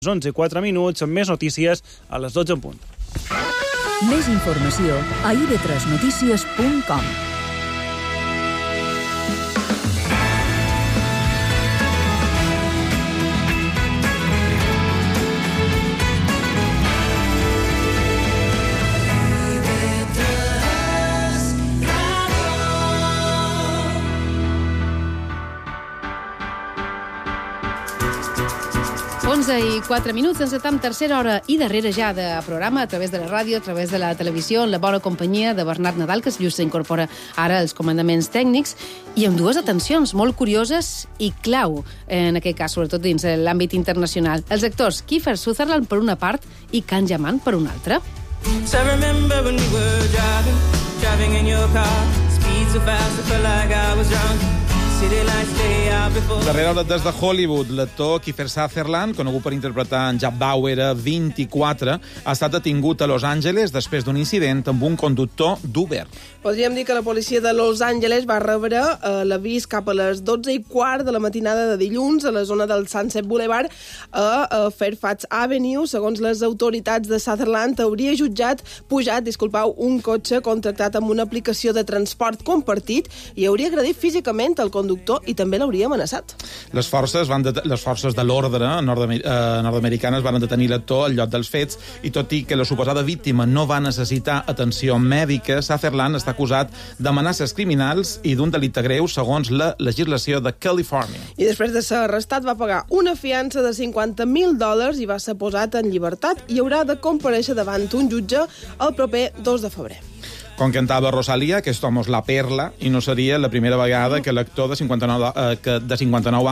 11:04, amb més notícies a les 12 en punt. Més informació a ib3notícies.com. I 4 minuts, ens atam tercera hora i darrere ja de programa a través de la ràdio, a través de la televisió, en la bona companyia de Bernat Nadal, que just s'incorpora ara als comandaments tècnics, i amb dues atencions molt curioses i clau, en aquest cas, sobretot dins l'àmbit internacional. Els actors Kiefer Sutherland per una part i Can Yaman per una altra. So I remember when we were driving in your car, speed so fast I felt like I was drunk. Darrere hora des de Hollywood, l'actor Kiefer Sutherland, conegut per interpretar en Jack Bauer, 24, ha estat detingut a Los Angeles després d'un incident amb un conductor d'Uber. Podríem dir que la policia de Los Angeles va rebre l'avís cap a les 12:15 de la matinada de dilluns a la zona del Sunset Boulevard a Fairfax Avenue. Segons les autoritats de Sutherland, hauria pujat un cotxe contractat amb una aplicació de transport compartit i hauria agredit físicament el conductor i també l'hauria amenaçat. Les forces de l'ordre nord-americanes van detenir l'actor al lloc dels fets i tot i que la suposada víctima no va necessitar atenció mèdica, Sutherland està acusat d'amenaces criminals i d'un delicte greu segons la legislació de Califòrnia. I després de ser arrestat va pagar una fiança de $50,000 i va ser posat en llibertat i haurà de comparèixer davant un jutge el proper 2 de febrer. Com cantava Rosalía, que somos la perla, i no seria la primera vegada que l'actor de 59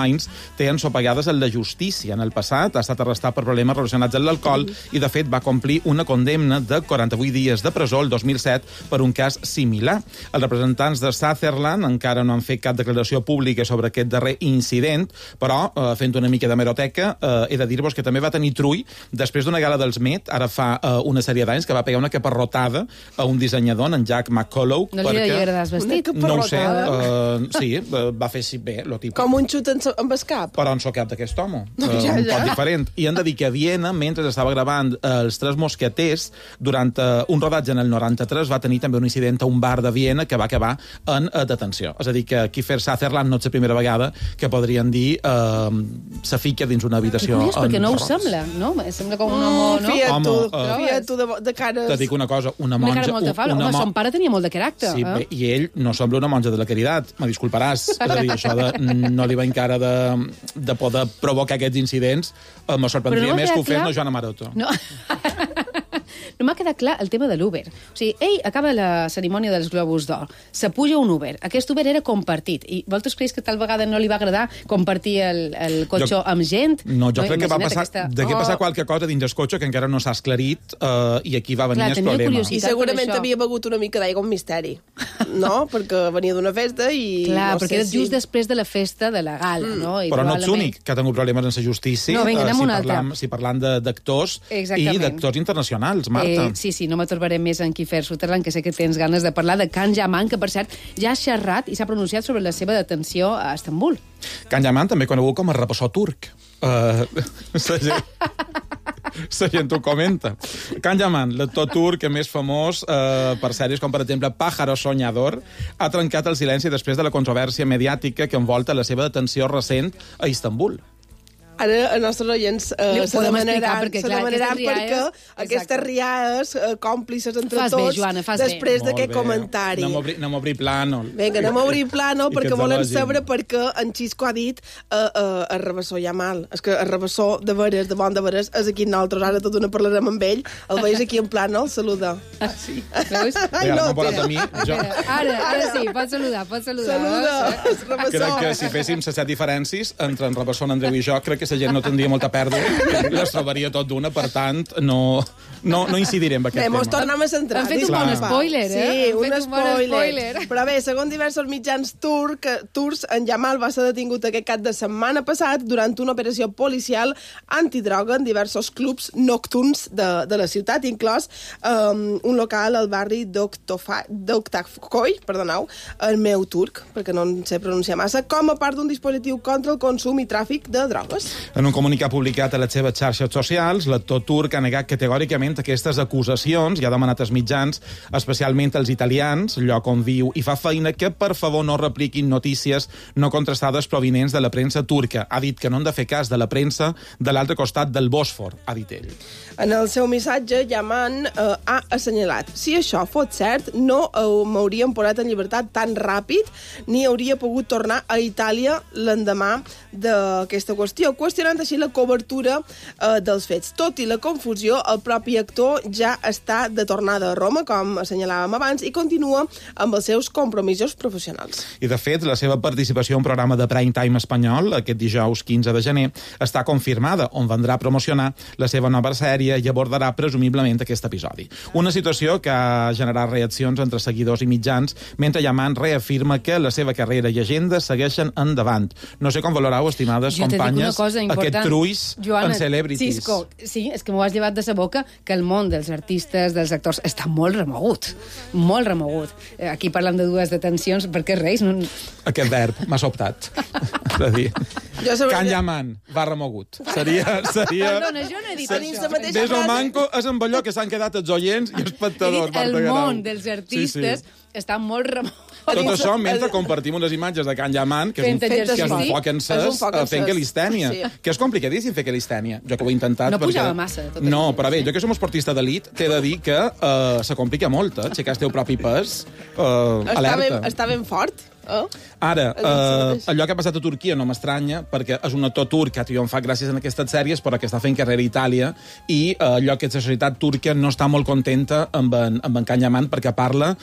anys té ensopegades en la justícia. En el passat ha estat arrestat per problemes relacionats amb l'alcohol i, de fet, va complir una condemna de 48 dies de presó el 2007 per un cas similar. Els representants de Sutherland encara no han fet cap declaració pública sobre aquest darrer incident, però, fent una mica d'hemeroteca, he de dir-vos que també va tenir trull després d'una gala dels Met, ara fa una sèrie d'anys, que va pegar una caparrotada a un dissenyador, en Jack McCullough. No li devia agradar el vestit? No ho sé, sí, va fer bé, lo típic. Com un xut amb el cap. Però en socat d'aquest home, un poc diferent. I hem de dir que a Viena, mentre estava gravant Els Tres Mosqueters, durant un rodatge en el 93, va tenir també un incident a un bar de Viena que va acabar en detenció. És a dir, que Kiefer Sutherland no és la primera vegada que podrien dir se fica dins una habitació. Que curiós, perquè no ho sembla, no? Sembla com un home, no? Fiat tu de cares. Te dic una cosa, una monja... monja... Molt de fal. Home, son pare tenia molt de caràcter. Sí, bé, i ell no sembla una monja de la caritat, me disculparàs. És a dir, això no li va encara de poder provocar aquests incidents. Me sorprendria més que ho fes Joana Maroto. No. No m'ha quedat clar el tema de l'Uber. O sigui, ell acaba la cerimònia dels Globus d'Or, se puja un Uber. Aquest Uber era compartit. I vosaltres creus que tal vegada no li va agradar compartir el cotxe amb gent? No, jo crec que va passar qualque cosa dins el cotxe que encara no s'ha esclarit i aquí va venir el problema. I segurament havia begut una mica d'aigua amb misteri, no? Perquè venia d'una festa i... Clar, perquè era just després de la festa de la gala, no? Però no ets únic que ha tingut problemes en la justícia. No, vinga, anem una altra. Si parlant d'actors i d'actors internacionals, Marta. Sí, no m'atorbaré més en Kiefer Sutherland, que sé que tens ganes de parlar de Can Yaman, que, per cert, ja ha xerrat i s'ha pronunciat sobre la seva detenció a Istanbul. Can Yaman, també conegut com a repassor turc. La gent ho comenta. Can Yaman, l'actor turc més famós per sèries com, per exemple, Pájaro Soñador, ha trencat el silenci després de la controvèrsia mediàtica que envolta la seva detenció recent a Istanbul. Ara els nostres oients se demanaran perquè aquestes riades còmplices entre tots després d'aquest comentari. Anem a obrir plànol. Vinga, anem a obrir plànol perquè volen saber per què en Xisco ha dit el rebassor ja mal. És que el rebassor de veres, de bon de veres, és aquí nosaltres. Ara tot una parlarem amb ell. El veus aquí en plànol, saluda. Ah, sí? Veus? Ara sí, pots saludar. Saluda. Crec que si féssim les 7 diferències entre en rebassor, en Andreu i jo, crec que la gent no tindria molta pèrdua, les trobaria tot d'una, per tant, no incidirem en aquest tema. Mos tornem a centrar. Han fet un bon spoiler, Sí, un spoiler. Però bé, segons diversos mitjans turcs, en Yamal va ser detingut aquest cap de setmana passat durant una operació policial antidroga en diversos clubs nocturns de la ciutat, inclòs un local al barri d'Oktakkoy, el meu turc, perquè no en sé pronunciar massa, com a part d'un dispositiu contra el consum i tràfic de drogues. En un comunicat publicat a les seves xarxes socials, l'actor turc ha negat categòricament aquestes acusacions i ha demanat als mitjans, especialment als italians, lloc on viu i fa feina, que per favor no repliquin notícies no contrastades provinents de la premsa turca. Ha dit que no han de fer cas de la premsa de l'altre costat del Bòsfor, ha dit ell. En el seu missatge, Yaman ha assenyalat: si això fos cert, no m'haurien posat en llibertat tan ràpid ni hauria pogut tornar a Itàlia l'endemà d'aquesta qüestió, qüestionant així la cobertura dels fets. Tot i la confusió, el propi actor ja està de tornada a Roma, com assenyalàvem abans, i continua amb els seus compromisos professionals. I, de fet, la seva participació en un programa de prime time espanyol, aquest dijous 15 de gener, està confirmada, on vendrà a promocionar la seva nova sèrie i abordarà presumiblement aquest episodi. Una situació que ha generat reaccions entre seguidors i mitjans, mentre Yaman reafirma que la seva carrera i agenda segueixen endavant. No sé com valorau, estimades companyes, aquest truís en celebrities. Cisco, sí, és que m'ho has llevat de sa boca, que el món dels artistes, dels actors, està molt remogut. Molt remogut. Aquí parlem de dues detencions, per què reis? No... Aquest verb m'ha sobtat. És a dir, Can Yaman va remogut. Seria... Perdona, jo no he dit això. Des o manco és amb allò que s'han quedat els oients i espectadors. El món dels artistes està molt remogut. Tot això mentre compartim unes imatges de Can Yaman, que és un foc encès fent calistènia. Que és complicadíssim fer calistènia. Jo que ho he intentat... No pujava massa. No, però bé, jo que som esportista d'elit, t'he de dir que se complica molt, aixecar el teu propi pes, alerta. Està ben fort. Ara, allò que ha passat a Turquia no m'estranya, perquè és un actor turc que triomfat gràcies a aquestes sèries, però que està fent carrera a Itàlia, i allò que la societat turca no està molt contenta amb en Can Yaman, perquè parla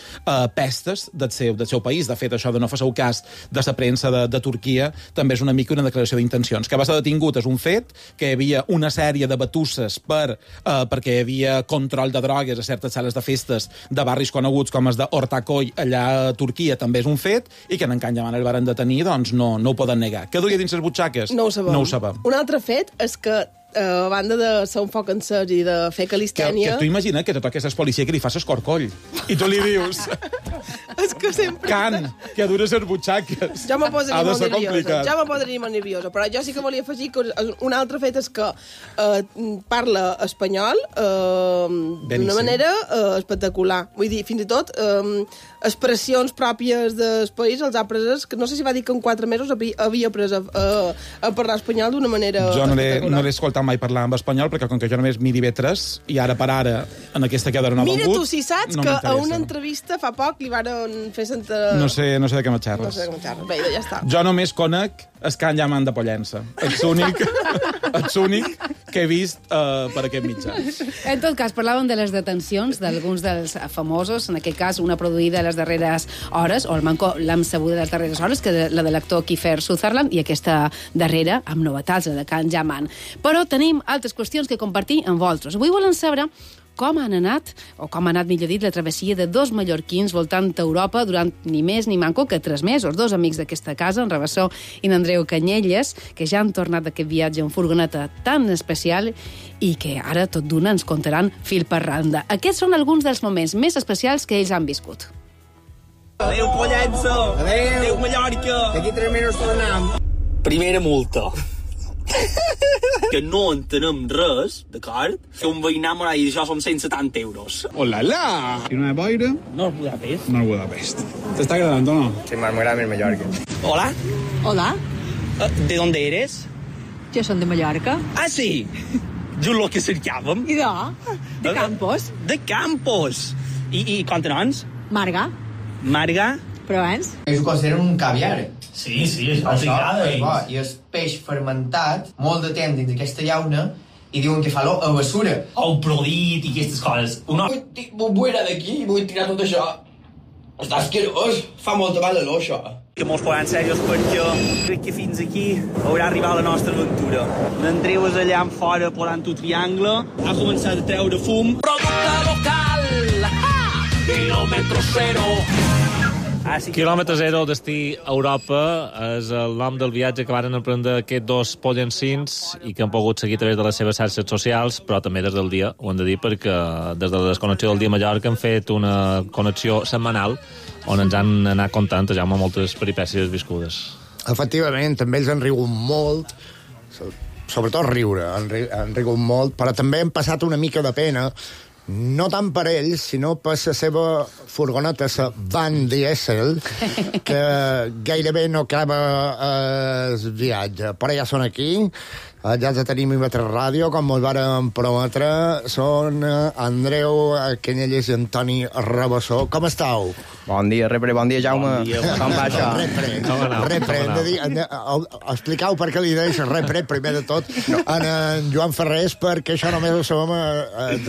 pestes del seu país. De fet, això de no fer-seu cas de la premsa de Turquia també és una mica una declaració d'intencions. Que va ser detingut és un fet, que hi havia una sèrie de batusses perquè hi havia control de drogues a certes sales de festes de barris coneguts com els d'Ortaköy allà a Turquia també és un fet, i que en Can Yaman el varen detenir, doncs no ho poden negar. Què duia dins les butxaques? No ho sabem. Un altre fet és que a banda de ser un foc encès i de fer calistènia... Que tu imagina que te toques el policia que li fas escorcoll i tu li dius... És que sempre... Can, que dures les butxaques. Jo me posaria molt nerviosa. Però jo sí que volia afegir que un altre fet és que parla espanyol d'una manera espectacular. Vull dir, fins i tot expressions pròpies del país els ha pres, que no sé si va dir que en 4 mesos havia pres a parlar espanyol d'una manera espectacular. No l'he escoltat mai parlar en espanyol, perquè com que jo només miri vetres, i ara per ara, en aquesta queda no ha vengut... Mira tu si saps que a una entrevista fa poc li varen fer sentir... No sé de què me xerres. No sé de què me xerres. Bé, ja està. Jo només conec el Can Yaman de Pollença. Ets únic que he vist per aquest mitjà. En tot cas, parlàvem de les detencions d'alguns dels famosos, en aquest cas una produïda a les darreres hores, o almenys l'hem sabuda de les darreres hores, que la de l'actor Kiefer Sutherland, i aquesta darrera, amb novetats, la de Can Yaman. Però tenim altres qüestions que compartir amb vosaltres. Avui volen saber com ha anat, millor dit, la travessia de 2 mallorquins voltant Europa durant ni més ni manco que 3 mesos. 2 amics d'aquesta casa, en Rabassó i en Andreu Canyelles, que ja han tornat d'aquest viatge en furgoneta tan especial i que ara tot d'una ens contaran fil per randa. Aquests són alguns dels moments més especials que ells han viscut. Adéu, Pollença! Adéu, Mallorca! D'aquí 3 mesos tornem. Primera multa. Que no entenem res, d'acord? Que un veïnat m'ha dit això són 170 euros. Hola, ¿Y una de boira? No, Budapest. No, Budapest. ¿Te está agradando o no? Sí, más grave en Mallorca. Hola. Hola. ¿De dónde eres? Yo soy de Mallorca. Ah, sí. Yo lo que cercàvem. I de Campos. De Campos. I quants noms? Marga. Marga? Però abans? Ells ho consideren un caviar. Sí, això els agrada. I és peix fermentat, molt de temps dins d'aquesta llauna, i diuen que fa l'olor a basura. O prodit i aquestes coses. Vull anar d'aquí i vull tirar tot això. Està asquerós. Fa molta mala olor, això. Que mos posem serios perquè crec que fins aquí haurà arribat la nostra aventura. L'Andreu és allà en fora plorant un triangle, ha començat a treure fum. Producte local! Quilòmetre zero! Quilòmetre zero, destí a Europa, és el nom del viatge que van emprendre aquests 2 pollencins i que han pogut seguir a través de les seves xarxes socials, però també des del dia, ho hem de dir, perquè des de la desconnexió del dia a Mallorca han fet una connexió setmanal on ens han anat contant ja moltes peripècies viscudes. Efectivament, també ells han rigut molt. sobretot riure, han rigut molt, però també hem passat una mica de pena, no tant per ells, sinó per la seva furgoneta, la Van Diesel, que gairebé no acaba el viatge. Però ja són aquí, ja els tenim a Ivetres Ràdio, com ens varen prometre, són Andreu Canyelles i Antoni Rabassó. Com estàu? Bon dia, Repre, bon dia, Jaume. Bon dia. Com va això? Repre, hem de dir, expliqueu per què li deix Repre, primer de tot, en Joan Ferrés, perquè això només ho sabem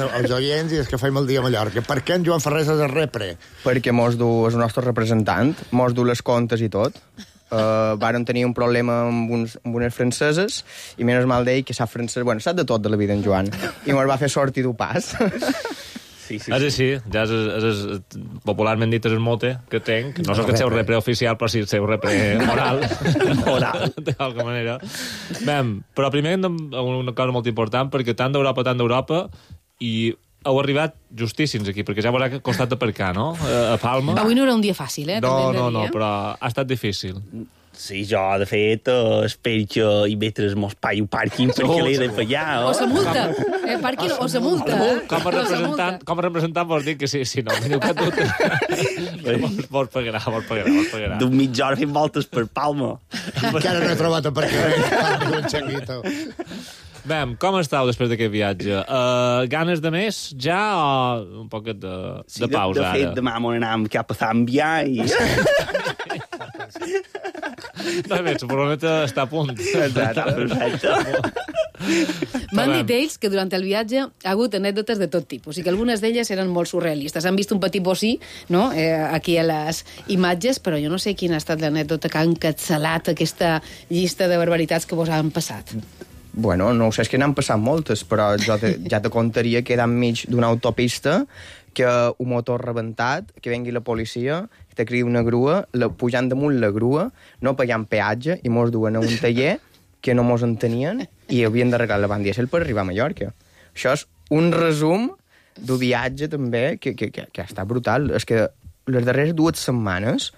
els oients i els que fem el dia a Mallorca. Per què en Joan Ferrés és el Repre? Perquè mos du el nostre representant, mos du les comptes i tot. Varen tenir un problema amb unes franceses i menys mal d'ell que sap francès, bueno, sap de tot de la vida en Joan, i mos va fer sortir d'un pas. Sí. És així, ja és popularment dit és el mote que tenc, no és el seu repre oficial, però sí el seu repre moral, d'alguna manera. Bé, però primer una cosa molt important, perquè tant d'Europa, i heu arribat justíssims aquí, perquè ja haurà costat aparcar, no?, a Palma. Avui no era un dia fàcil, No, però ha estat difícil. Sí, jo, de fet, espero que Ivetres mos pagui un pàrquing perquè l'he de pagar. O se multa. Pàrquing o se multa. Com a representant vols dir que si no, teniu cap dubte. Vos pagarà. D'un mitja hora fent voltes per Palma. Encara no he trobat aparcament. Un xanguito. Bé, com estàu després d'aquest viatge? Ganes de més, ja, o un poquet de pausa, ara? De fet, demà m'anam cap a Zàmbia i... No, bé, la furgoneta està a punt. Perfecte. M'han dit ells que durant el viatge ha hagut anècdotes de tot tipus i que algunes d'elles eren molt surrealistes. Han vist un petit bocí, no?, aquí a les imatges, però jo no sé quina ha estat l'anècdota que ha encapçalat aquesta llista de barbaritats que vos han passat. Bueno, no ho sé, és que n'han passat moltes, però jo ja te contaria que era enmig d'una autopista, que un motor rebentat, que vengui la policia, que te crida una grua, pujant damunt la grua, no pagant peatge, i mos duen a un taller que no mos entenien i havien d'arreglar la Van Diesel per arribar a Mallorca. Això és un resum d'un viatge, també, que ha estat brutal. És que les darreres 2 setmanes,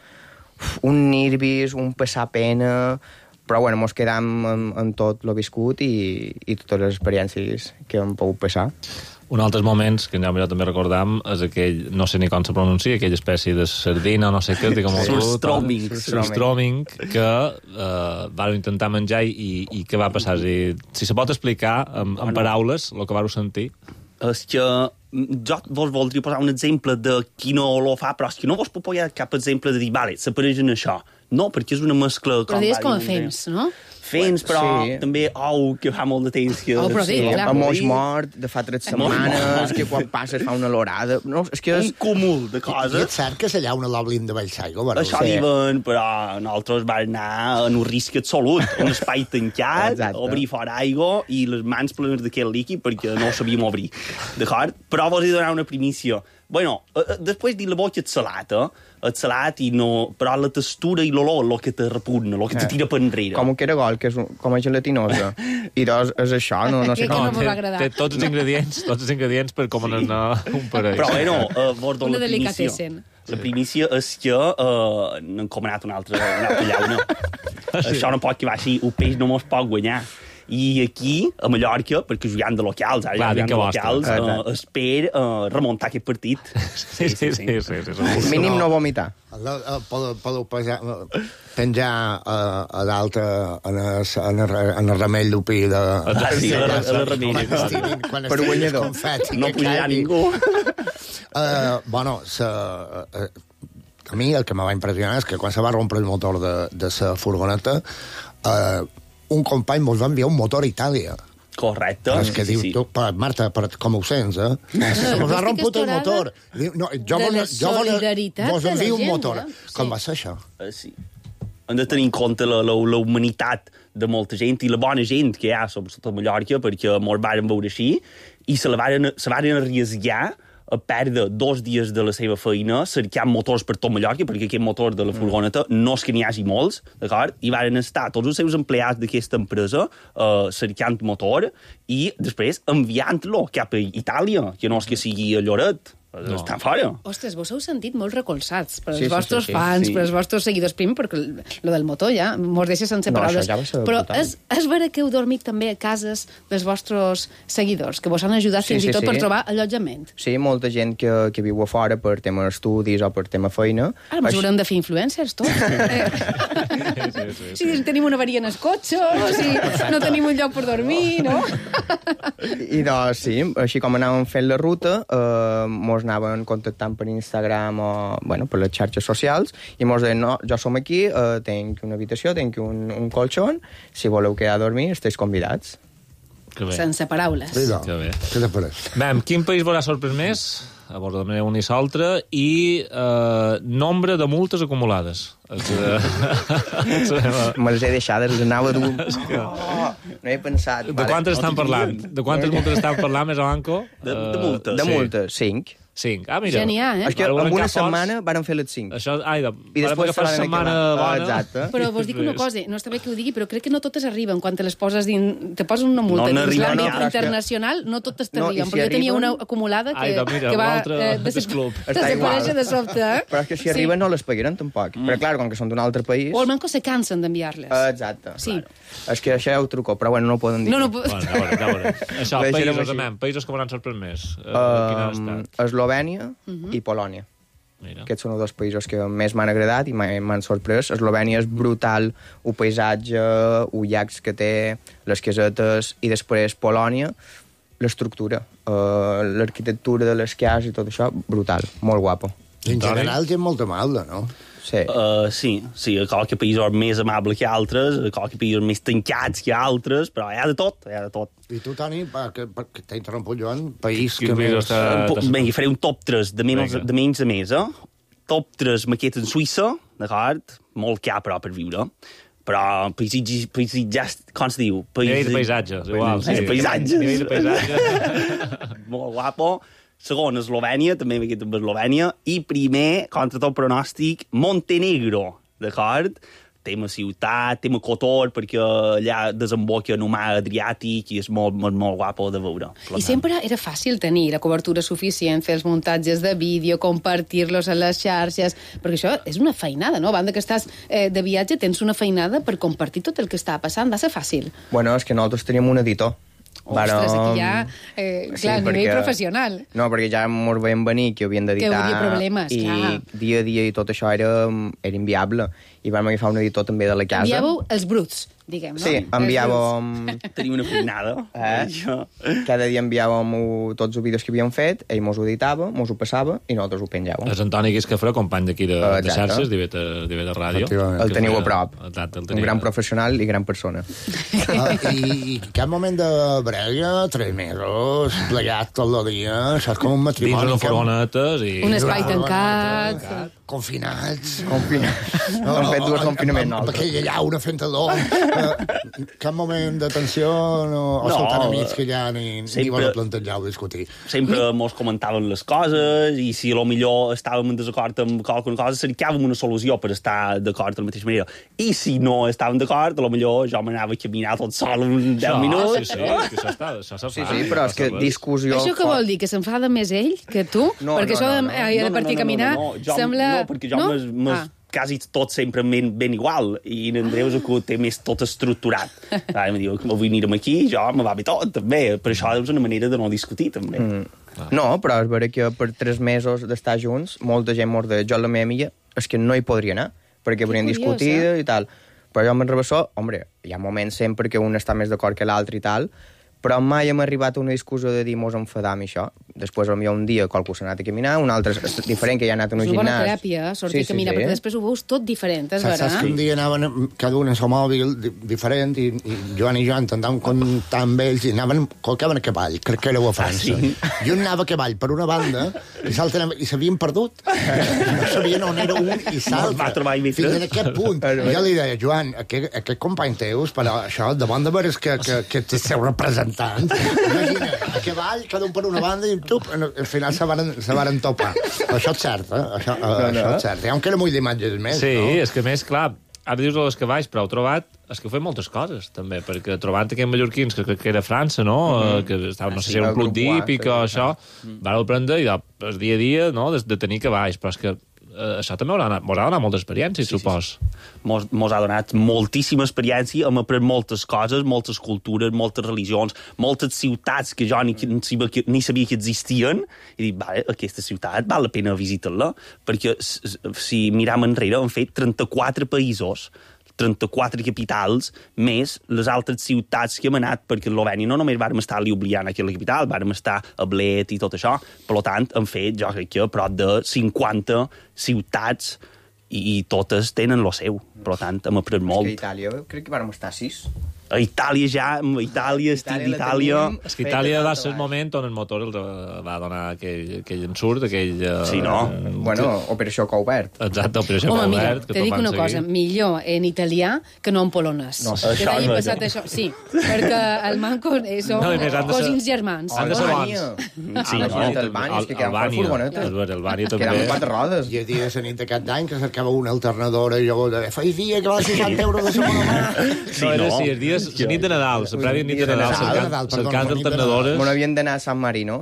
un nervis, un passar pena... Però, bueno, mos quedam en tot lo viscut i totes les experiències que hem pogut passar. Un altres moments, que ja també recordam, és aquell, no sé ni com se pronuncia, aquella espècie de sardina, no sé què, surstroming, que vau intentar menjar i què va passar? Si se pot explicar en paraules el que vau sentir. És que jo vos voldria posar un exemple de qui no lo fa, però és que no vos puc posar cap exemple de dir, vale, s'apareix en això. No, perquè és una mescla... Però deies com a fems, no? Fems, però sí. També que fa molt de temps que... Però sí, clar. A moix mort, de fa 3 setmanes, que quan passes fa una lorada... No, és que és... Un cúmul de coses. I és cert que allà una l'oblin de Vallsaigo, però... Això diuen, però nosaltres vam anar en un risc absolut, un espai tancat, obrir fora aigua i les mans plenes d'aquest líquid perquè no ho sabíem obrir. D'acord? Però vos he de donar una primícia. Bueno, després dir la boca és salat i no... Però la textura i l'olor el que te repugna, el que te tira per enrere. Com un caragol, que és com a gelatinosa. I doncs és això, no sé com. Té tots els ingredients per com anar un parell. Però bueno, vos dono la primícia. La primícia és que n'hem comanat una altra llauna. Això no pot que vagi, un peix no mos pot guanyar. I aquí, a Mallorca, perquè jugant de locals, espero remuntar aquest partit. Sí. Mínim no vomitar. Podeu penjar a dalt en el remell d'opí de... Sí, a la remell. Per guanyador. No pujarà ningú. Bueno, a mi el que me va impressionar és que quan se va rompre el motor de la furgoneta, un company mos va enviar un motor a Itàlia. Correcte. És que diu, tu, Marta, com ho sents, eh? Mos ha romput el motor. No, jo vos envio un motor. Com va ser això? Sí. Hem de tenir en compte la humanitat de molta gent i la bona gent que hi ha, sobretot a Mallorca, perquè mos varen veure així, i se varen arriesgar a perdre 2 dies de la seva feina cercant motors per tot Mallorca, perquè aquest motor de la furgoneta no és que n'hi hagi molts, d'acord? I varen estar tots els seus empleats d'aquesta empresa cercant motor i després enviant-lo cap a Itàlia, que no és que sigui a Lloret, Estan fora. Ostres, vos heu sentit molt recolzats per Sí, els vostres sí. fans, per els vostres seguidors. Primer, perquè lo del motor ja mos deixa sense paraules. això ja va ser Però brutal. és vera que heu dormit també a cases dels vostres seguidors, que vos han ajudat fins i tot per trobar allotjament. Sí, molta gent que viu a fora per tema estudis o per tema feina. Ara ens haurem de fer influencers, tots. Si tenim una avaria en el cotxe, o si no tenim un lloc per dormir, no? I doncs, sí, així com anàvem fent la ruta, mos anaven contactant per Instagram o, bueno, per les xarxes socials, i mos deien, no, jo som aquí, tenc una habitació, tenc un colxon, si voleu quedar a dormir, esteu convidats. Sense paraules. Sí, no. Que bé. Què te pareix? Bé, quin país vos ha sorprès més? A vos de un i l'altre, i nombre de multes acumulades. Me les he deixades, les anava dur. No he pensat. De quantes estan parlant? De quantes multes estan parlant, més o manco? De multes. De multes, 5. 5. Ah, mira. Genial, És que en una setmana varen fer les 5. Això, I després fa setmana bona. Exacte. Però vos dic una cosa, no està bé que ho digui, però crec que no totes arriben quan te les poses te poses una multa No dins n'arriben, l'àmbit no, internacional, no totes No, t'arriben, i si perquè jo tenia arriben- una acumulada Mira, que va desclub. desaparèixer de sobte. Però és que si arriben no les pagaran tampoc. Però clar, com que són d'un altre país... O almenys se cansen d'enviar-les. Exacte. Sí. És que això ja ho truco, però bueno, no ho poden dir. No, Bueno, ja veurem. Això, Deixarem països, així. amem, països que m'han sorprès més. Quin ha estat? Eslovènia i Polònia. Mira. Aquests són els dos països que més m'han agradat i m'han sorprès. Eslovènia és brutal, el paisatge, els llacs que té, les casetes, i després Polònia, l'estructura, l'arquitectura de les cases i tot això, brutal, molt guapo. En general té molta malda, no? Sí. Sí, qualque països més amables que altres, qualque països més tancats que altres, però hi ha de tot, hi ha de tot. I tu, Toni, que t'ha interromput, Joan, país Quin que país més... està- Vinga, faré un top 3 de menys a més, Top 3 maquetes en Suïssa, d'acord? Molt car, però, per viure. Però paisatges, com se diu? Nivell de paisatges, igual. Sí. Paisatges. Nivell de paisatges. Molt guapo. Segon, Eslovènia, també m'he quedat amb Eslovènia. I primer, contra tot pronòstic, Montenegro, d'acord? Tema ciutat, tema Kotor, perquè allà desemboca en un mar Adriàtic i és molt, molt, molt guapo de veure. I sempre era fàcil tenir la cobertura suficient, fer els muntatges de vídeo, compartir-los a les xarxes, perquè això és una feinada, no? A banda que estàs de viatge, tens una feinada per compartir tot el que està passant. Va ser fàcil. Bueno, és que nosaltres teníem un editor. Ostres, aquí ja, clar, a nivell professional. No, perquè ja mos veiem venir que havien d'editar... Que hi hauria problemes, i clar. dia a dia i tot això era inviable. I vam agafar un editor també de la casa. Enviàveu els bruts, diguem, no? Sí, enviàvem... Tenia una feinada. Cada dia enviàvem tots els vídeos que havíem fet, ell mos ho editava, mos ho passava i nosaltres ho penjàvem. És Antoni Guiscafré, company d'aquí de xarxes, d'IV de Ràdio. El teniu a prop. Exacte, un gran professional i gran persona. I cap moment de brega, 3 mesos, plegat tot el dia, saps, com un matrimoni. Dins una furgonetes i... Un espai tancat. Confinats. No, han fet 2 confinaments Amb nosaltres. aquella llauna fent l'or. Cap moment de tensió o sou tan amics que ja ni vos plantejar o discutir. Sempre mos comentaven les coses i si a lo millor estàvem en desacord amb qualsevol cosa, cercàvem una solució per estar d'acord de la mateixa manera. I si no estàvem d'acord, a lo millor jo m'anava a caminar tot sol en 10 minuts. Sí, és que això se fa. Sí, però és que discussió... Això què vol dir? Que s'enfada més ell que tu? Perquè això de partir a caminar sembla... No, perquè jo quasi tot sempre ben igual, i en Andreu és el que té més tot estructurat. Em diu, avui anirem aquí, jo me va bé tot, també. Per això és una manera de no discutir, també. No, però és vera que per 3 mesos d'estar junts, molta gent mos deia, jo la meva amiga és que no hi podria anar, perquè podrien discutir i tal. Però jo amb en Rabassó, hombre, hi ha moments sempre que un està més d'acord que l'altre i tal, però mai hem arribat a una discussió de dir mos enfadam i això. Després, potser un dia qualcú s'ha anat a caminar, un altre és diferent, que ja ha anat a un gimnàs. És una bona teràpia, sortir a caminar, perquè després ho veus tot diferent, és vera? Saps que un dia anaven cada un en seu mòbil diferent i Joan i jo intentàvem comptar amb ells i col·locaven a cavall, crec que éreu a França. I un anava a cavall per una banda i s'havien perdut. No sabien on era un i l'altre. Fins en aquest punt. I jo li deia, Joan, aquest company teus, però això, de bon de veres que te seu representant, imagina, a cavall, cada un per una banda i al final se varen topar. Això és cert, això és cert. Hi ha un que era molt d'imatges més, sí, no? és que més, clar, ara dius els cavalls, però heu trobat És que ho fem moltes coses, també, perquè trobant aquells mallorquins, que crec que era França, no? Que estava, no sé si era un club d'hípic o això, van aprendre i el dia a dia, no?, de tenir cavalls, però és que això també mos ha donat molta experiència, supos. Mos ha donat moltíssima experiència, hem après moltes coses, moltes cultures, moltes religions, moltes ciutats que jo ni sabia que existien, i dic, vale, aquesta ciutat val la pena visitar-la, perquè si miram enrere hem fet 34 països, 34 capitals, més les altres ciutats que hem anat, perquè a Eslovènia no només vàrem estar a Ljubljana, que és la capital, vàrem estar a Bled i tot això. Per tant, hem fet, jo crec que, prop de 50 ciutats i totes tenen lo seu. Per tant, hem après molt. És que a Itàlia crec que vàrem estar 6. A Itàlia ja, estic d'Itàlia... És que Itàlia va ser el moment on el motor els va donar aquell ensurt, aquell... Sí, no? Bueno, Operació Coubert. Exacte, Operació Coubert. Home, mira, te dic una cosa, millor en italià que no en polonès. No, que t'hagi passat això. Sí, perquè el manco són cosins germans. Han de ser bons. Sí, Albània, és que quedaven per furgonetes. Albània també. Quedaven 4 rodes. I a dia de nit d'aquest any que cercava una alternadora i llavors feia dia que val 60 euros de segona mà. Sí, era sí, els dies la nit de Nadal, la prèvia nit de Nadal, cercant alternadores. No havíem d'anar a San Marino.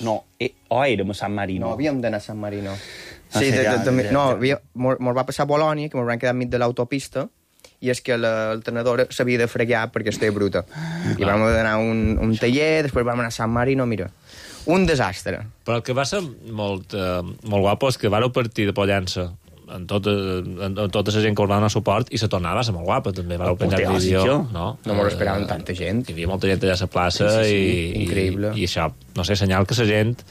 No, érem a San Marino. No, havíem d'anar a San Marino. Sí, no, mos va passar a Bolònia, que mos van quedar enmig de l'autopista, i és que l'alternadora s'havia de fregar perquè estava bruta. I vam anar a un taller, després vam anar a San Marino, mira, un desastre. Però el que va ser molt guapo és que vareu partir de Pollença en tota la gent que us va donar suport i la tornada va ser molt guapa, també. Vareu penjar vídeo, no? No mos esperaven tanta gent. Hi havia molta gent allà a la plaça increïble. I això, no sé, senyal que la gent...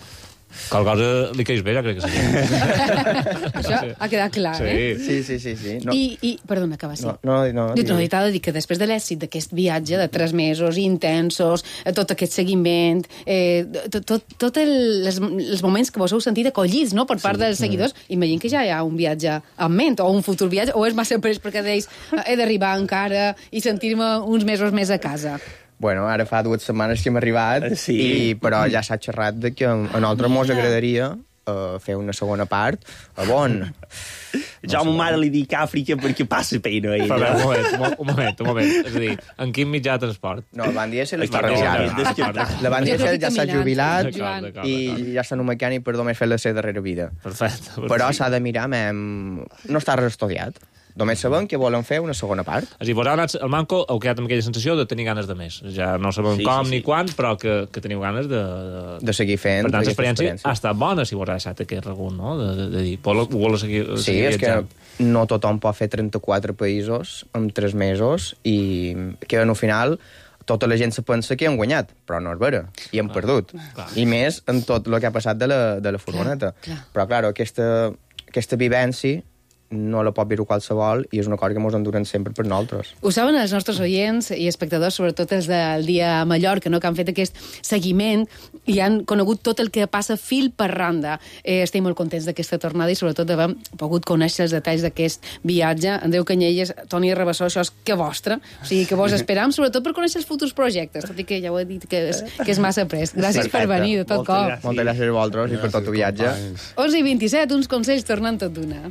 Qualque cosa li queix bé, jo crec que la gent. Això ha quedat clar, eh? Sí. No. I perdona, acaba així. No. T'ha de dir que després de l'èxit d'aquest viatge de 3 mesos intensos, tot aquest seguiment, tots els moments que vos heu sentit acollits, no?, per part dels seguidors, imagino que ja hi ha un viatge en ment, o un futur viatge, o és massa pres perquè deis he d'arribar encara i sentir-me uns mesos més a casa. Bueno, ara fa 2 setmanes que hem arribat, però ja s'ha xerrat de que a nosaltres mos agradaria fer una segona part a Bonn. Jo a ma mare li dic Àfrica perquè passa pena. Un moment. És a dir, en quin mitjà de transport? No, el Van Diesel està revisat. La Van Diesel ja s'ha jubilat i ja està en un mecànic per només fer la seva darrera vida. Perfecte. Però s'ha de mirar, no està res estudiat. Només sabem que volen fer una segona part. És a dir, vos heu anat al Manco, heu quedat amb aquella sensació de tenir ganes de més. Ja no sabem com ni quan, però que teniu ganes de seguir fent. Per tant, l'experiència ha estat bona, si vos ha deixat aquest regunt, no? De dir, vol seguir és que no tothom pot fer 34 països en 3 mesos i que al final tota la gent se pensa que hem guanyat, però no és vera, i hem perdut. I més en tot el que ha passat de la furgoneta. Però, clar, aquesta vivència no la pot viure qualsevol i és una cosa que ens enduren sempre per nosaltres. Ho saben els nostres oients i espectadors, sobretot els del dia a Mallorca, no?, que han fet aquest seguiment i han conegut tot el que passa fil per randa. Estem molt contents d'aquesta tornada i sobretot d'haver pogut conèixer els detalls d'aquest viatge. Andreu Canyelles, Toni Rabassó, això és que vostre, o sigui que vos esperam, sobretot per conèixer els futurs projectes, tot i que ja ho he dit que és massa prest. Gràcies per venir, de tot cop. Moltes gràcies a vosaltres i per tot el viatge. 11:27, uns consells tornant tot d'una.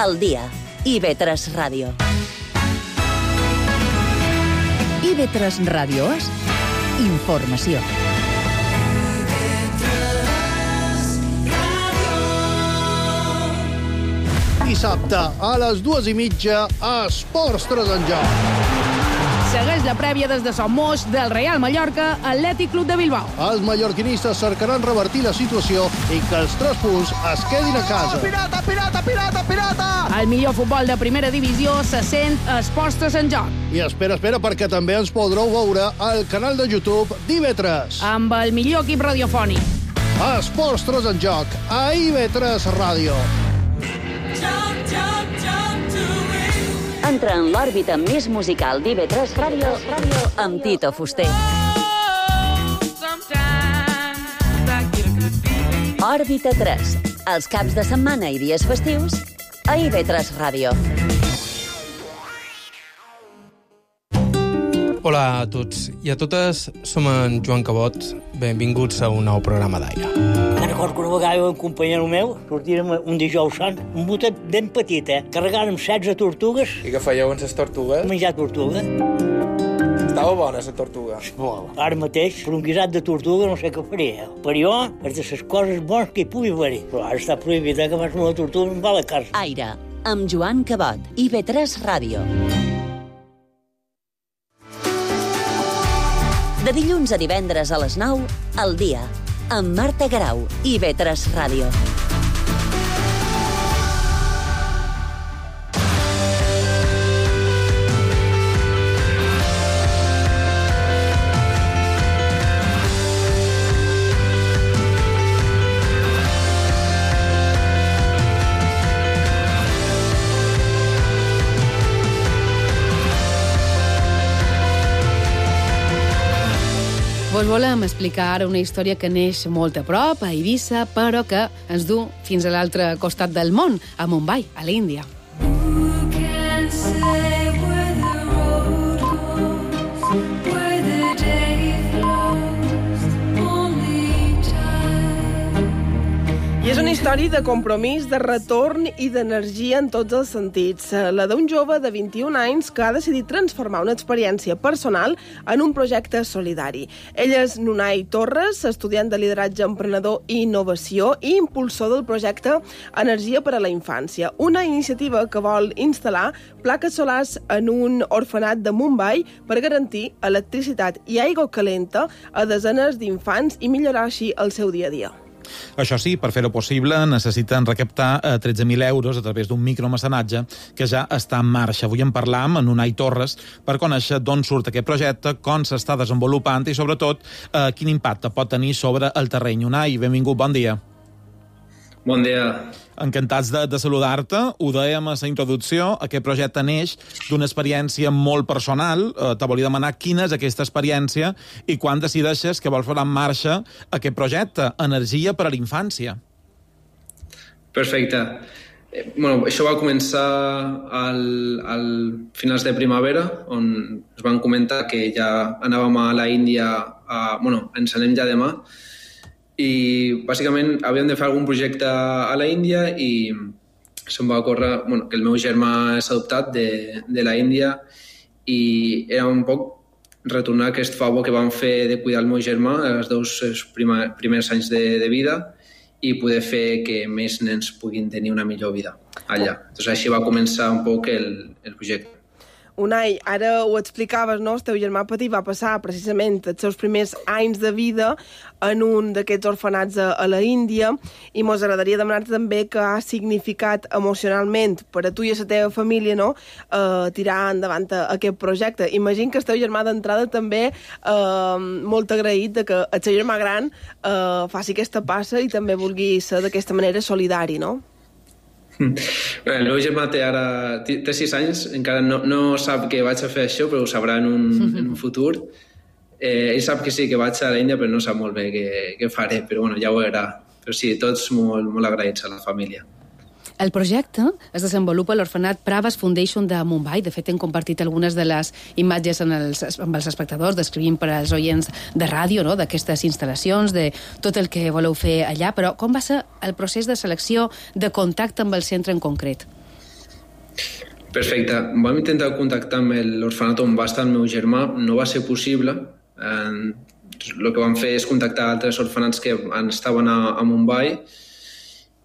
Al dia. IB3 Ràdio. IB3 Ràdio és informació. Dissabte a les 2:30 a Esports 3 en joc. Segueix la prèvia des de Somos del Real Mallorca Atlètic Club de Bilbao. Els mallorquinistes cercaran revertir la situació i que els 3 punts es quedin a casa. Pirata! El millor futbol de primera divisió se sent a Esports 3 en joc. I espera, perquè també ens podreu veure al canal de YouTube d'IB3. Amb el millor equip radiofònic. A Esports 3 en joc, a IB3 Ràdio. Entra en l'òrbita més musical d'IB3 Ràdio amb Tito Fuster. Òrbita 3, Els caps de setmana i dies festius a IB3 Ràdio. Hola a tots i a totes, som en Joan Cabot. Benvinguts a un nou programa d'Aire. Me'n recordo que una vegada un companyero meu sortirem un dijous sant, un botet ben petit, carregàrem 16 tortugues. I què fèieu amb les tortugues? Menjar tortuga. Estava bona, la tortuga. Ara mateix, per un guisat de tortuga no sé què faria. Per jo, és de les coses bones que hi pugui haver-hi. Però ara està prohibit que vas amb la tortuga i em va a la casa. Aire, amb Joan Cabot, IB3 Ràdio. De dilluns a divendres a les 9, al dia, amb Marta Garau, IB3 Ràdio. Vos volem explicar ara una història que neix molt a prop, a Eivissa, però que ens du fins a l'altre costat del món, a Mumbai, a l'Índia. I és una història de compromís, de retorn i d'energia en tots els sentits. La d'un jove de 21 anys que ha decidit transformar una experiència personal en un projecte solidari. Ell és Nunai Torres, estudiant de lideratge emprenedor i innovació i impulsor del projecte Energia per a la Infància, una iniciativa que vol instal·lar plaques solars en un orfenat de Mumbai per garantir electricitat i aigua calenta a desenes d'infants i millorar així el seu dia a dia. Això sí, per fer-ho possible necessiten recaptar 13.000 euros a través d'un micromecenatge que ja està en marxa. Avui en parlam amb Nunai Torres per conèixer d'on surt aquest projecte, com s'està desenvolupant i, sobretot, quin impacte pot tenir sobre el terreny. Nunai, benvingut, bon dia. Bon dia. Encantats de saludar-te. Ho dèiem a la introducció, aquest projecte neix d'una experiència molt personal. Te volia demanar quina és aquesta experiència i quan decideixes que vols posar en marxa aquest projecte, Energia per a la Infància. Perfecte. Bueno, això va començar al finals de primavera, on es van comentar que ja anàvem a la Índia, ens anem ja demà, i bàsicament havíem de fer algun projecte a la Índia i se'm va ocórrer que el meu germà és adoptat de la Índia i era un poc retornar aquest favor que vam fer de cuidar el meu germà els dos primers anys de vida i poder fer que més nens puguin tenir una millor vida allà. Doncs així va començar un poc el projecte. Unai, ara ho explicaves, no? El teu germà petit va passar precisament els seus primers anys de vida en un d'aquests orfenats a la Índia i mos agradaria demanar-te també què ha significat emocionalment per a tu i a la teva família, no? Tirar endavant aquest projecte. Imagino que el teu germà d'entrada també molt agraït de que el seu germà gran faci aquesta passa i també vulgui ser d'aquesta manera solidari, no? El meu germà té 6 anys, encara no sap que vaig a fer això, però ho sabrà en un futur. Ell sap que sí, que vaig a l'Índia, però no sap molt bé què faré, però ja ho veurà. Però sí, tots molt agraïts a la família. El projecte es desenvolupa a l'orfenat Pravas Foundation de Mumbai. De fet, hem compartit algunes de les imatges amb els espectadors, descrivint per als oients de ràdio, no?, d'aquestes instal·lacions, de tot el que voleu fer allà. Però com va ser el procés de selecció, de contacte amb el centre en concret? Perfecte. Vam intentar contactar amb l'orfenat on va estar el meu germà. No va ser possible. El que vam fer és contactar altres orfenats que estaven a Mumbai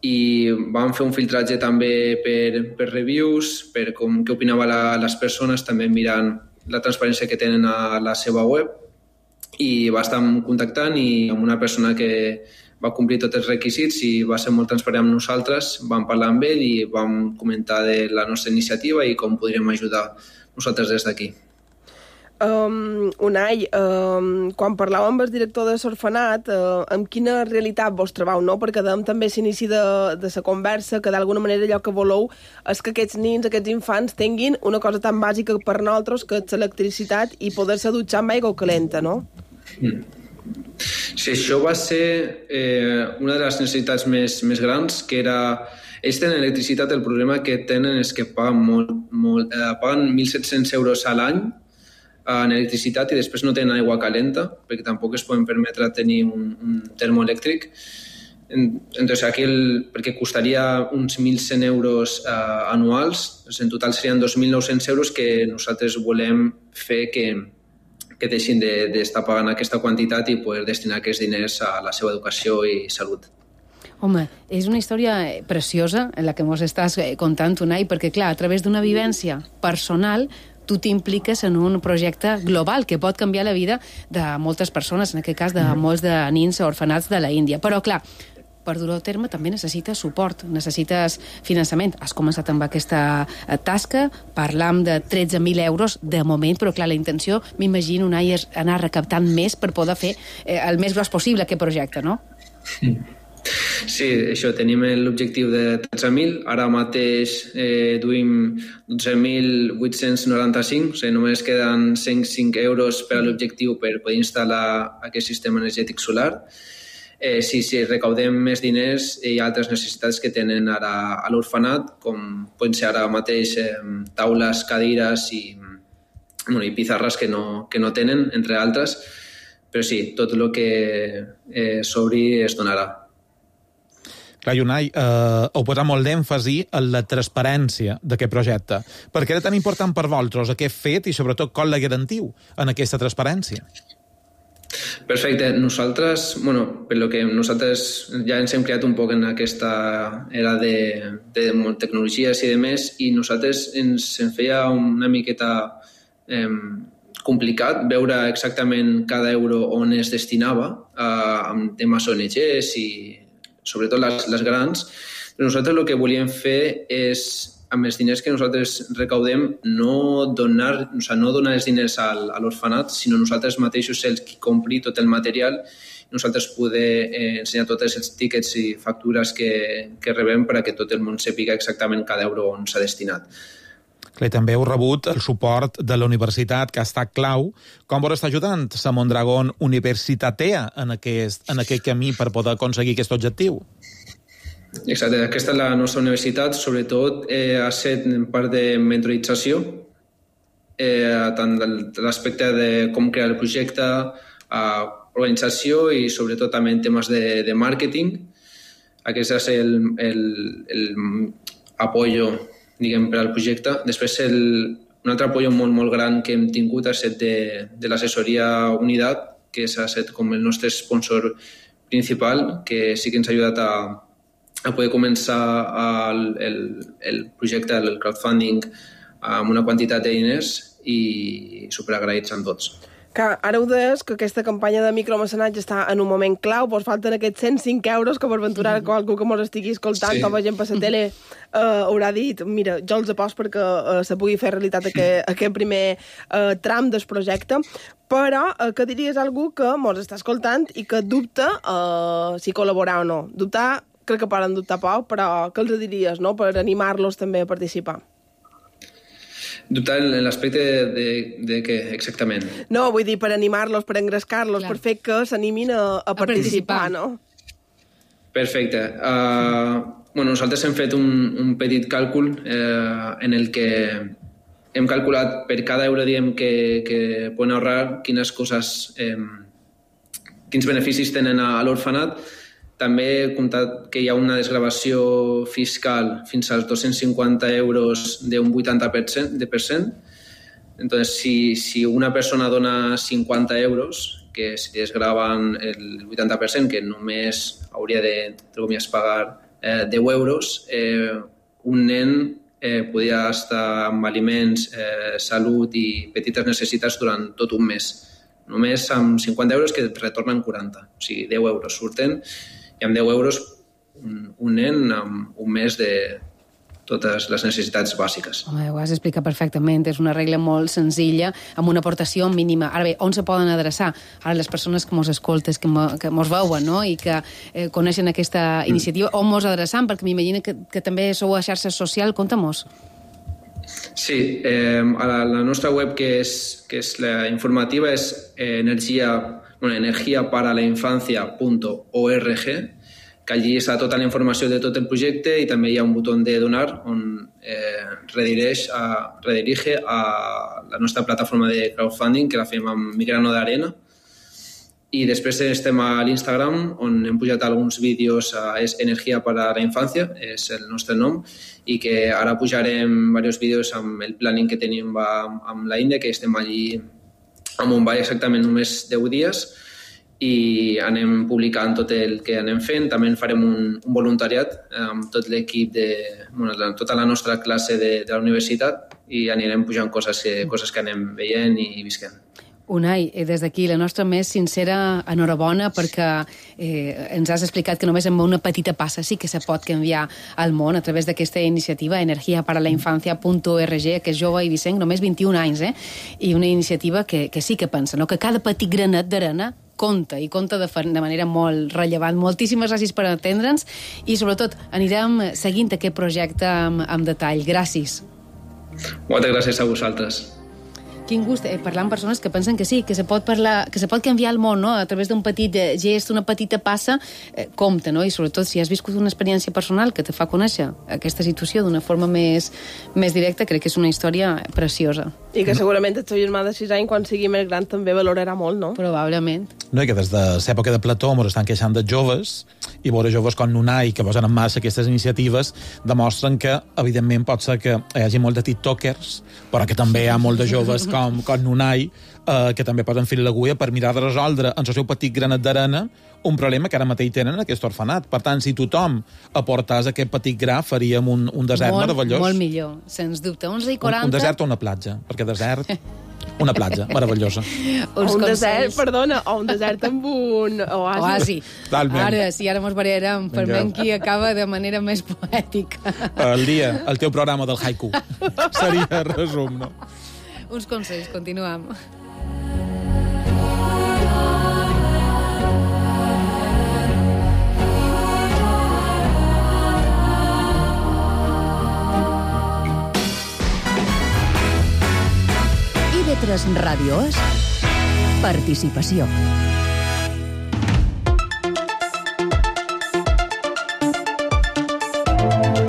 i vam fer un filtratge també per reviews, per què opinava les persones, també mirant la transparència que tenen a la seva web, i va estar contactant i amb una persona que va complir tots els requisits i va ser molt transparent amb nosaltres. Vam parlar amb ell i vam comentar de la nostra iniciativa i com podríem ajudar nosaltres des d'aquí. Unai, quan parlàvem amb el director de l'orfenat, amb quina realitat vos trobeu, no? Perquè també a l'inici de la conversa que d'alguna manera allò que voleu és que aquests nins, aquests infants tinguin una cosa tan bàsica per nosaltres que és l'electricitat i poder-se dutxar amb aigua calenta, no? Sí, això va ser una de les necessitats més grans, que era... Ells tenen electricitat, el problema que tenen és que paguen 1.700 euros a l'any en electricitat i després no tenen aigua calenta, perquè tampoc es poden permetre tenir un termoelèctric. Entonces, aquí perquè costaria uns 1.100 euros anuals, en total serien 2.900 euros que nosaltres volem fer que deixin d'estar pagant aquesta quantitat i poder destinar aquests diners a la seva educació i salut. Home, és una història preciosa en la que ens estàs contant, Unai, perquè, clar, a través d'una vivència personal tu t'impliques en un projecte global que pot canviar la vida de moltes persones, en aquest cas de molts de nens orfenats de la Índia. Però, clar, per dur-ho a terme també necessites suport, necessites finançament. Has començat amb aquesta tasca, parlam de 13.000 euros de moment, però clar, la intenció, m'imagino, Unai, és anar recaptant més per poder fer el més gros possible aquest projecte, no? Sí, això, tenim l'objectiu de 13.000, ara mateix duim 12.895, o sigui, només queden 105 euros per a l'objectiu per poder instal·lar aquest sistema energètic solar. Si recaudem més diners, hi ha altres necessitats que tenen ara a l'orfenat, com poden ser ara mateix taules, cadires i pizarres que no tenen, entre altres, però sí, tot el que s'obri es donarà. Clar, Unai, heu posat molt d'èmfasi en la transparència d'aquest projecte. Per què era tan important per vosaltres aquest fet i, sobretot, com la garantiu en aquesta transparència? Perfecte. Nosaltres, per lo que nosaltres ja ens hem creat un poc en aquesta era de tecnologies i de més, i nosaltres ens feia una miqueta complicat veure exactament cada euro on es destinava amb temes ONGs i sobretot les grans. Però nosaltres el que volíem fer és, amb els diners que nosaltres recaudem, no donar els diners a l'orfenat, sinó nosaltres mateixos els qui compri tot el material, nosaltres poder ensenyar tots els tíquets i factures que rebem perquè tot el món sàpiga exactament cada euro on s'ha destinat. Clar, també heu rebut el suport de la universitat, que ha estat clau. Com vos està ajudant la Mondragón Universitatea en aquest camí per poder aconseguir aquest objectiu? Exacte, aquesta és la nostra universitat, sobretot ha set en part de mentorització, tant de l'aspecte de com crear el projecte, organització i sobretot també en temes de màrqueting. Aquest és l'apoyo, diguem, per al projecte. Després, un altre apoyo molt, molt gran que hem tingut ha estat de l'assessoria Unidat, que s'ha estat com el nostre sponsor principal, que sí que ens ha ajudat a poder començar el projecte, el crowdfunding, amb una quantitat de diners i superagraïts amb tots. Ara ho deies, que aquesta campanya de micromecenatge està en un moment clau, vos falten aquests 105 euros que per aventurar qualcú que mos estigui escoltant, com a gent per la tele, haurà dit, mira, jo els aposto perquè se pugui fer realitat aquest primer tram del projecte, però que diries algú que mos està escoltant i que dubta si col·laborar o no? Dubtar, crec que poden dubtar poc, però què els diries, no?, per animar-los també a participar? Dubtar en l'aspecte de què exactament? No, vull dir, per animar-los, per engrescar-los, per fer que s'animin a participar, no? Perfecte. Nosaltres hem fet un petit càlcul en el que hem calculat per cada euro, diguem, que poden ahorrar, quins beneficis tenen a l'orfenat. També he comptat que hi ha una desgravació fiscal fins als 250 euros d'un 80%. Entonces, si una persona dona 50 euros, que si desgraven el 80%, que només hauria de pagar 10 euros, un nen podria estar amb aliments, salut i petites necessitats durant tot un mes. Només amb 50 euros que retornen 40. O sigui, 10 euros surten i amb 10 euros un nen amb un mes de totes les necessitats bàsiques. Home, ho has explicat perfectament. És una regla molt senzilla, amb una aportació mínima. Ara bé, on se poden adreçar? Ara les persones que mos escoltes, que mos veuen, no?, i que coneixen aquesta iniciativa, on mos adreçam? Perquè m'imagino que també sou a xarxes socials. Conta-mos. Sí, la nostra web, que és la informativa, és energiaparalainfancia.org, que allí està tota la informació de tot el projecte i també hi ha un botó de donar on redirige a la nostra plataforma de crowdfunding, que la fem amb mi grano d'arena. I després estem a l'Instagram, on hem pujat alguns vídeos, és Energia para la Infancia, és el nostre nom, i que ara pujarem diversos vídeos amb el planning que tenim amb la Índia, que estem allí a Mumbai exactament només 10 dies, i anem publicant tot el que anem fent. També farem un voluntariat amb tot l'equip tota la nostra classe de la universitat, i anirem pujant coses que anem veient i visquent. Unai, des d'aquí la nostra més sincera enhorabona, perquè ens has explicat que només amb una petita passa sí que se pot canviar el món a través d'aquesta iniciativa energiaparalainfancia.org, que és jove i Vicenç, només 21 anys, i una iniciativa que sí que pensa, no? Que cada petit granet d'arena compta, i compta de manera molt rellevant. Moltíssimes gràcies per atendre'ns i, sobretot, anirem seguint aquest projecte amb detall. Gràcies. Moltes gràcies a vosaltres. Quin gust parlar amb persones que pensen que sí, que se pot canviar el món, no? A través d'un petit gest, una petita passa, compta, no? I sobretot si has viscut una experiència personal que te fa conèixer aquesta situació d'una forma més directa, crec que és una història preciosa. I que segurament el teu germà de 6 anys, quan sigui més gran, també valorarà molt, no? Probablement. No, i que des de l'època de Plató ens estan queixant dels joves, i veure joves com Unai, que posen en marxa aquestes iniciatives, demostren que, evidentment, pot ser que hi hagi molt de tiktokers, però que també hi ha molt de joves com Unai, que també posen fil a l'agulla per mirar de resoldre en el seu petit granet d'arena un problema que ara mateix tenen en aquest orfenat. Per tant, si tothom aportàs aquest petit gra, faríem un desert meravellós. Molt millor, sens dubte. 11:40... Un desert o una platja, perquè desert... Una platja meravellosa. Un desert, perdona, o un desert amb un oasi. Ara, sí, ara mos barallarem per veure qui acaba de manera més poètica. El teu programa del haiku. Seria resum, no? Uns consells, continuem. IB3 Ràdio és participació.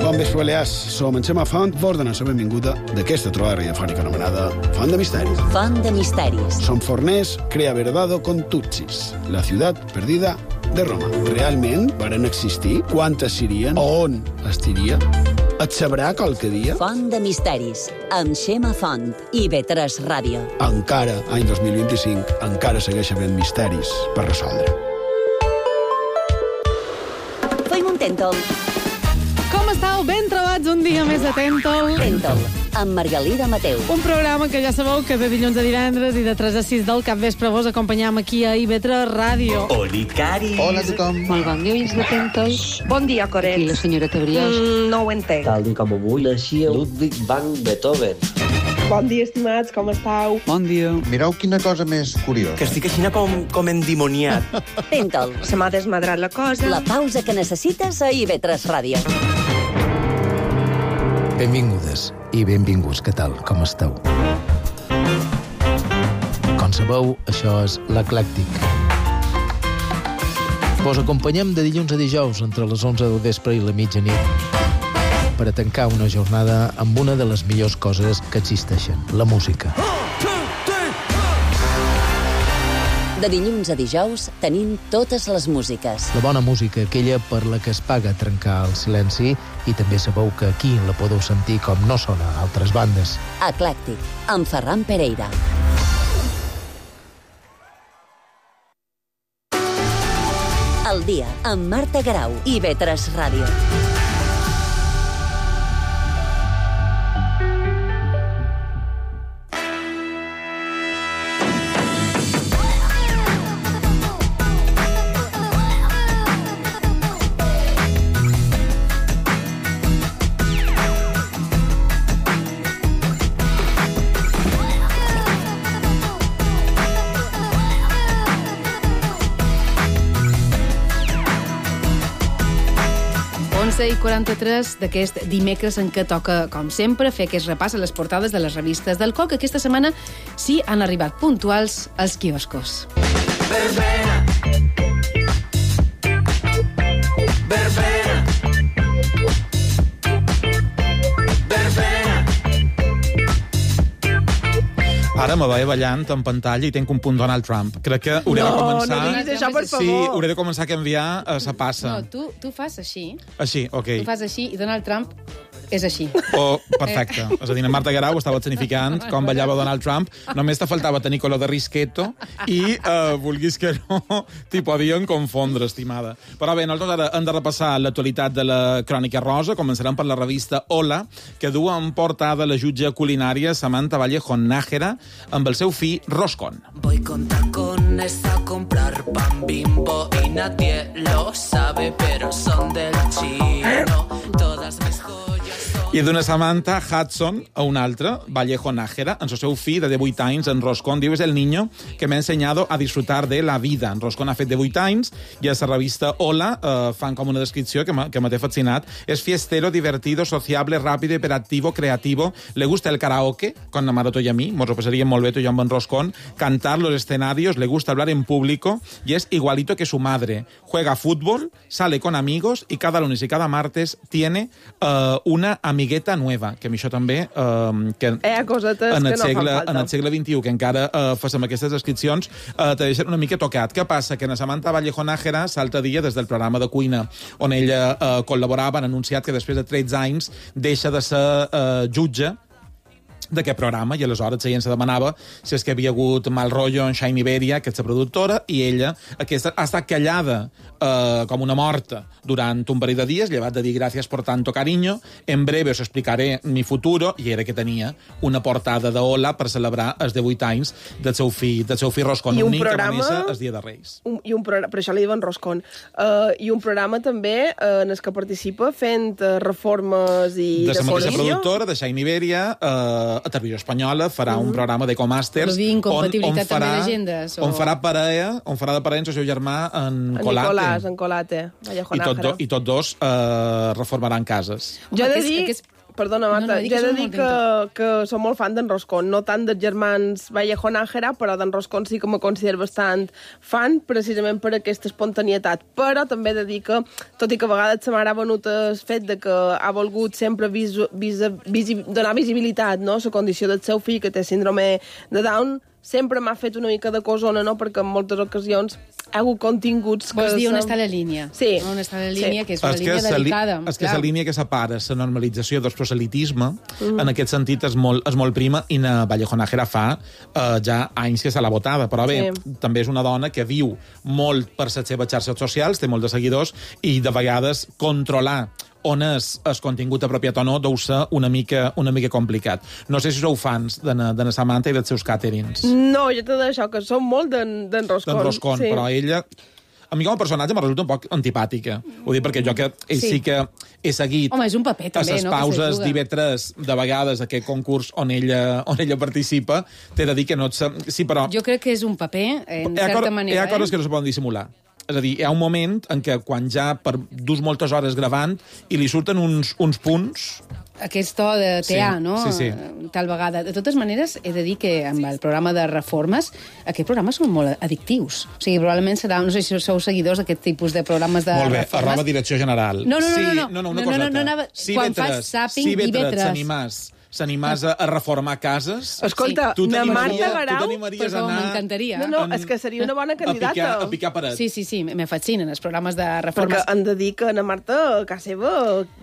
Bon vespre, Balears. Som en Xema Font, vos donem la benvinguda d'aquesta trobada radiofònica anomenada Font de Misteris. Font de Misteris. Som forners, crea verdado con Tutsis, la ciutat perdida de Roma. Realment varen existir? Quantes serien? On estiria? Et sabrà qualque dia? Font de Misteris, amb Xema Font i IB3 Ràdio. Encara, any 2025, encara segueix havent misteris per resoldre. Fem un tèntol. Com estàu? Ben trobats un dia més de Tèntol. Tèntol, amb Margalida Mateu. Un programa que ja sabeu que de dilluns a divendres i de 3 a 6 del capvespre vos acompanyam aquí a IB3 Ràdio. Oli, Cari. Hola a tothom. Molt bon dia, oients de Tèntol. Bon dia, Coret. I la senyora Tebriós. No ho entenc. Tal dia com avui naixia Ludwig van Beethoven. Bon dia, estimats, com estàu? Bon dia. Mireu quina cosa més curiosa. Que estic així com endimoniat. Tèntol. Se m'ha desmadrat la cosa. La pausa que necessites a IB3 Ràdio. Benvingudes i benvinguts, què tal? Com esteu? Com sabeu, això és l'Eclèctic. Vos acompanyem de dilluns a dijous entre les 11 del vespre i la mitjanit per a tancar una jornada amb una de les millors coses que existeixen, la música. De dilluns a dijous tenim totes les músiques. La bona música, aquella per la que es paga trencar el silenci, i també sabeu que aquí la podeu sentir com no sona a altres bandes. Eclèctic, amb Ferran Pereira. El dia, amb Marta Grau i IB3 Ràdio. 11:43 d'aquest dimecres en què toca, com sempre, fer aquest repàs a les portades de les revistes del COC. Aquesta setmana sí han arribat puntuals als quioscos. Verbena. Verbena. Verbena. Ara me veia ballant en pantalla i tenc un punt Donald Trump. Crec que hauré de començar... No diguis això, per favor. Sí, hauré de començar a canviar a sa passa. No, tu fas així. Així, ok. Tu fas així i Donald Trump és així. Oh, perfecte. És a dir, Marta Guerau estava escenificant com ballava Donald Trump. Només te faltava tenir color de risqueto i, vulguis que no, t'hi podien confondre, estimada. Però bé, nosaltres ara hem de repassar l'actualitat de la Crònica Rosa. Començarem per la revista Hola, que du en portada la jutge culinària Samantha Vallejo Nájera amb el seu fill Roscón. Voy con tacones a comprar pan Bimbo y nadie lo sabe, pero son del chino. Todas mis joyas. I d'una Samantha Hudson a una altra, Vallejo Nájera, en el seu fill de 18 anys, en Roscón, diu, és el niño que m'ha ensenyado a disfrutar de la vida. En Roscón ha fet 18 anys i a la revista Hola fan com una descripció que m'ha fascinat. És fiestero, divertido, sociable, rápido, hiperactivo, creativo. Le gusta el karaoke, con la Maroto y a mí, nos lo pasaría molt bé tu i jo amb en Roscón. Cantar los escenarios, le gusta hablar en público y es igualito que su madre. Juega fútbol, sale con amigos y cada lunes y cada martes tiene una amigueta nueva, que a mi això també... que cosetes en que el no segle, fan falta. en el segle XXI, que encara fem aquestes descripcions, te deixen una mica tocat. Què passa? Que en Samantha Vallejo Nájera, l'altre dia, des del programa de cuina on ella col·laborava, han anunciat que després de 13 anys deixa de ser jutge d'aquest programa, i aleshores la gent se demanava si és que havia hagut mal rotllo en Shine Iberia, que és la productora, i ella aquesta ha estat callada com una morta durant un parell de dies, llevat de dir gràcies por tanto cariño, en breve os explicaré mi futuro, i era que tenia una portada de Hola per celebrar els 18 anys del seu fill Roscón, un nin que va néixer el dia de Reis. Per això li diuen Roscón. I un programa també en el que participa fent reformes i de la mateixa decoració. productora, de Shine Iberia, a Televisió Espanyola farà un programa d'Ecomàsters incompatibilitat també d'agendes, on farà de parella amb el seu germà en Colate. En Colate, Vallejo I Nájera. tots dos reformaran cases. Jo he de dir... Perdona, Marta, jo he de dir que som molt fan d'en Roscón, no tant dels germans Vallejo Nájera, però d'en Roscón sí que me considero bastant fan, precisament per aquesta espontanietat. Però també he de dir que, tot i que a vegades se m'ha venut el fet de que ha volgut sempre donar visibilitat, no?, a la condició del seu fill, que té síndrome de Down, sempre m'ha fet una mica de cosona, no?, perquè en moltes ocasions ha hagut continguts... Vols dir on està la línia? Sí. On està la línia, que és una línia delicada. És que és la línia que separa la normalització del proselitisme, en aquest sentit és molt prima, i na Vallejo Nájera fa ja anys que se l'ha votada, però bé, també és una dona que viu molt per les seves xarxes socials, té molt de seguidors, i de vegades controlar on és el contingut apropiat o no deu ser una mica complicat. No sé si sou fans de na Samantha i dels seus càterings. No, jo t'he d'això, que som molt d'en Roscón. D'en Roscón, sí. Però ella... A mi com a personatge me resulta un poc antipàtica. Ho dic perquè jo que ell sí que he seguit... Home, és un paper, també, a les pauses d'IV3, de vegades, aquest concurs on ella participa, t'he de dir que no... Sí, però... Jo crec que és un paper, en certa manera. Hi ha coses que no se poden dissimular. És a dir, hi ha un moment en què quan ja dus moltes hores gravant i li surten uns punts... Aquest to de teà, no? Sí. Tal vegada. De totes maneres, he de dir que amb el programa de reformes, aquests programes són molt addictius. O sigui, probablement serà... No sé si sou seguidors d'aquest tipus de programes de reformes. Molt bé, arroba direcció general. No, una coseta. Quan fas zàping i vetres. S'animàs a reformar cases. Escolta, na Marta Guerau... t'animaries a anar... M'encantaria. No, és que seria una bona candidata. A picar paret. Sí, me fascinen els programes de reformes. Perquè han de dir que na Marta, a casa seva...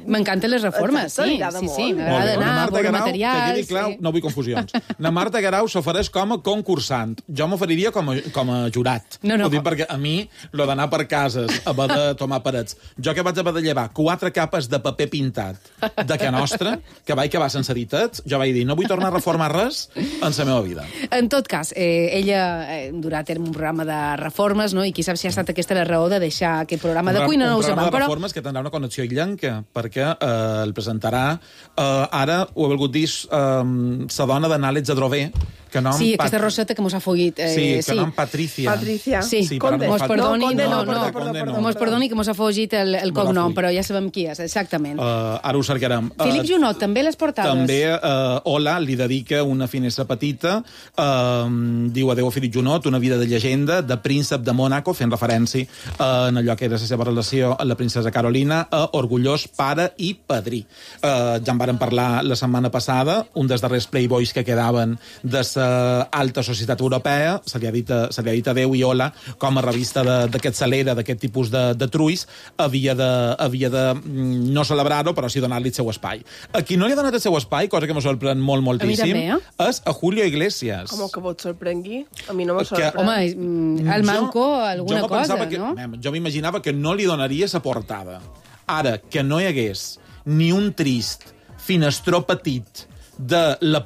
M'encanten les reformes, sí. M'agrada anar a veure materials... Que quedi clar, no vull confusions. Na Marta Guerau s'ofereix com a concursant. Jo m'oferiria com a jurat. Ho dic perquè a mi, lo d'anar per cases, haver de tomar parets... Jo que vaig haver de llevar 4 capes de paper pintat de que nostra, que vaig acabar sense editar, jo vaig dir, no vull tornar a reformar res en la meva vida. En tot cas, ella durà a terme un programa de reformes, no? I qui sap si ha estat aquesta la raó de deixar aquest programa de cuina, no ho sabem. Un programa de reformes que tindrà una connexió illenca, perquè el presentarà, ara ho ha volgut dir la dona d'Àlex Adrover, Que nom Sí, aquesta roseta que mos ha follit. Sí, que nom Patricia. Sí, Conde. mos perdoni, Conde, perdoni que mos ha follit el cognom, però ja sabem qui és, exactament. Ara ho cercarem. Felip Junot, també les portades. També Ola li dedica una finestra petita, diu adeu a Felip Junot, una vida de llegenda, de príncep de Mònaco, fent referència en allò que era la seva relació amb la princesa Carolina, a orgullós pare i padrí. Ja en vàrem parlar la setmana passada, un dels darrers playboys que quedaven de l'alta societat europea, se li ha dit adeu i hola, com a revista d'aquest Salera, d'aquest tipus de truis, havia de no celebrar-ho, però sí donar-li el seu espai. A qui no li ha donat el seu espai, cosa que me sorprèn moltíssim, és a Julio Iglesias. Com que vos sorprengui? A mi no me sorprèn. Home, el manco alguna cosa, no? Jo m'imaginava que no li donaria la portada. Ara, que no hi hagués ni un trist finestró petit de la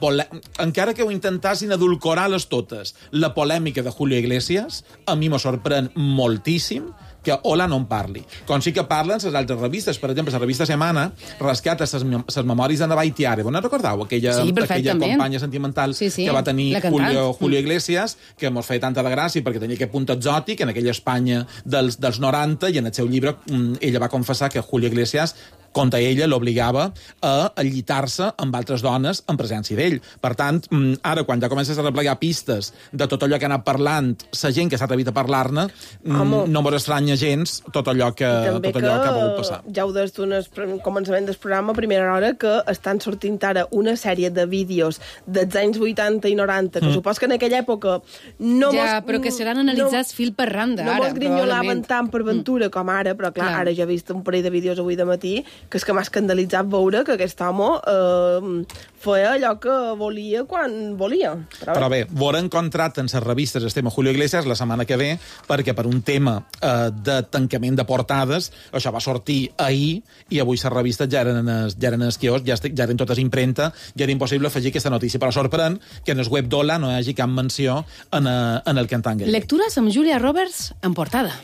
encara que ho intentassin edulcorar-les totes, la polèmica de Julio Iglesias, a mi me sorprèn moltíssim que Ola no en parli. Com sí que parlen les altres revistes. Per exemple, la revista Semana rescata les memòries de Nabaitiare. Vos no recordeu? Aquella companya sentimental que va tenir Julio Iglesias, que mos feia tanta de gràcia perquè tenia aquest punt exòtic en aquella Espanya dels 90, i en el seu llibre ella va confessar que Julio Iglesias, contra ella, l'obligava a llitar-se amb altres dones en presència d'ell. Per tant, ara, quan ja comences a replegar pistes de tot allò que ha anat parlant, la gent que s'ha atrevit a parlar-ne, no mos estranya gens tot allò que ha volgut passar. Ja ho des d'un començament del programa, a primera hora, que estan sortint ara una sèrie de vídeos dels anys 80 i 90, que supos que en aquella època però que seran analitzats fil per randa, ara. No mos grinyolaven tant per ventura com ara, però clar, ara ja he vist un parell de vídeos avui de matí que és que m'ha escandalitzat veure que aquest home feia allò que volia quan volia. Però bé, veurem contracte en les revistes el tema Julio Iglesias la setmana que ve, perquè per un tema de tancament de portades, això va sortir ahir, i avui les revistes ja eren en el quiosc, ja eren totes impremta, ja era impossible afegir aquesta notícia. Però sorprèn que en el web d'Ola no hi hagi cap menció en el que entengui. Lectures amb Julia Roberts en portada.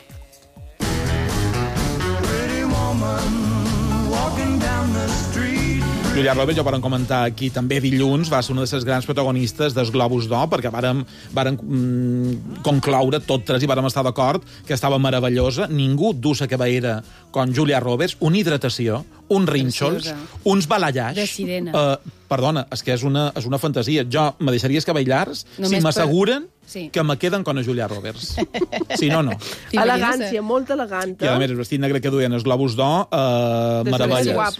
Julia Roberts, ja ho vam comentar aquí també dilluns, va ser una de les grans protagonistes dels Globus d'Or, perquè vàrem concloure tot tres i vàrem estar d'acord que estava meravellosa. Ningú du la cabellera com Julia Roberts, una hidratació, uns rínxols, uns balallars. De sirena. Perdona, és que és una fantasia. Jo me deixaria els cabells llargs si m'asseguren que me queden com a Julia Roberts. Si no, no. Elegància, molt elegant. I a més, el vestit negre que duien els Globus d'Or, meravelles.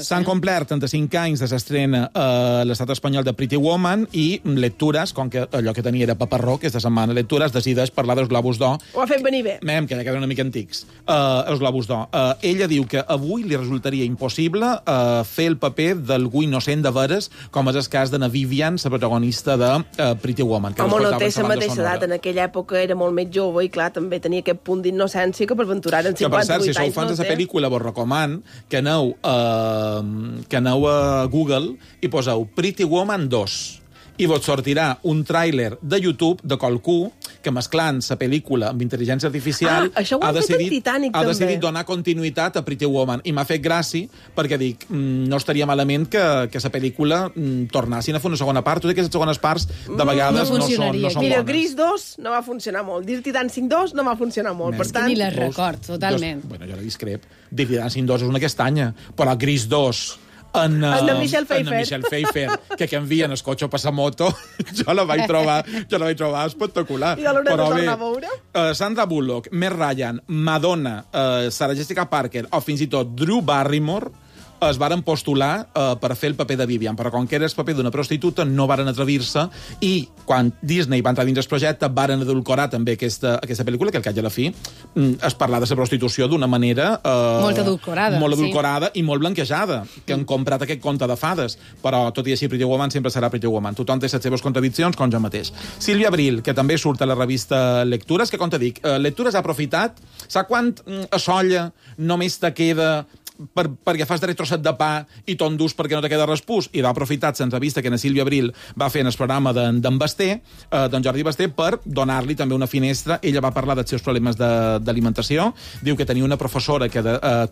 S'han complert 35 anys de l'estrena a l'estat espanyol de Pretty Woman, i Lectures, com que allò que tenia era paparró, aquesta setmana Lectures decideix parlar dels Globus d'Or. Ho ha fet venir bé. Que ja queden una mica antics. Els Globus d'Or. Ella diu que avui li resultaria impossible fer el paper d'algú innocent de veres, com és el cas de na Vivian, la protagonista de Pretty Woman. Home, no té la mateixa edat. En aquella època era molt més jove i, clar, també tenia aquest punt d'innocència que per aventurar en 58 anys. Que, per cert, si sou fans de la pel·lícula, vos recoman que aneu a Google i poseu Pretty Woman 2. I vos sortirà un tràiler de YouTube de qualcú que, mesclant la pel·lícula amb intel·ligència artificial, ha decidit donar continuïtat a Pretty Woman. I m'ha fet gràcia perquè dic, no estaria malament que la pel·lícula tornassin a fer una segona part. Totes aquestes segones parts de vegades no són bones. Mira, Gris 2 no va funcionar molt. Dirty Dancing 2 no va funcionar molt. Per tant, ni les record, totalment. Bueno, jo la discrep. Dirty Dancing 2 és una castanya, però Gris 2... En Michelle Pfeiffer, que envien el cotxe a passamoto, jo la vaig trobar espectacular. I l'haurem de tornar a veure? Sandra Bullock, Meg Ryan, Madonna, Sarah Jessica Parker o fins i tot Drew Barrymore es varen postular per fer el paper de Vivian, però com que era el paper d'una prostituta no varen atrevir-se, i quan Disney va entrar dins el projecte varen edulcorar també aquesta pel·lícula, que al cap i a la fi es parla de la prostitució d'una manera molt edulcorada i molt blanquejada, que han comprat aquest conte de fades, però tot i així Pretty Woman sempre serà Pretty Woman. Tothom té les seves contradiccions, com jo mateix. Sílvia Abril, que també surt a la revista Lectures, que com te dic, Lectures ha aprofitat, sap quant a solla només te queda perquè fas darrer trosset de pa i t'endús perquè no te queda respús, i va aprofitar l'entrevista que na Sílvia Abril va fer en el programa d'en Basté, d'en Jordi Basté, per donar-li també una finestra. Ella va parlar dels seus problemes d'alimentació, diu que tenia una professora que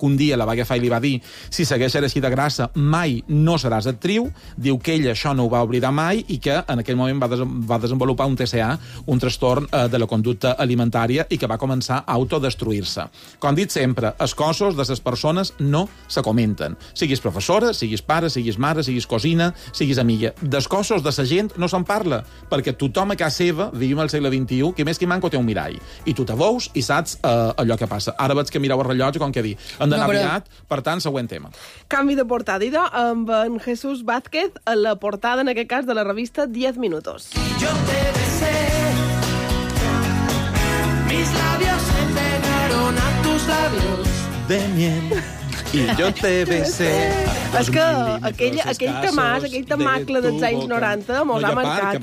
un dia la va agafar i li va dir: si segueixes així de grassa mai no seràs actriu. Diu que ella això no ho va oblidar mai i que en aquell moment va desenvolupar un TCA, un trastorn de la conducta alimentària, i que va començar a autodestruir-se. Com dit sempre, els cossos de les persones no se comenten. Siguis professora, siguis pare, siguis mare, siguis cosina, siguis amiga. Dels cossos de la gent no se'n parla, perquè tothom a casa seva, vivim al segle XXI, que més que manco té un mirall. I tu te veus i saps allò que passa. Ara veig que mireu el rellotge, com que dir. Hem d'anar aviat, per tant, següent tema. Canvi de portada, idò, amb en Jesús Vázquez, a la portada, en aquest cas, de la revista 10 Minutos. Yo te besé, mis labios se pegaron a tus labios de miel. I jo te besé. És que aquell temacle dels anys 90 mos ha marcat.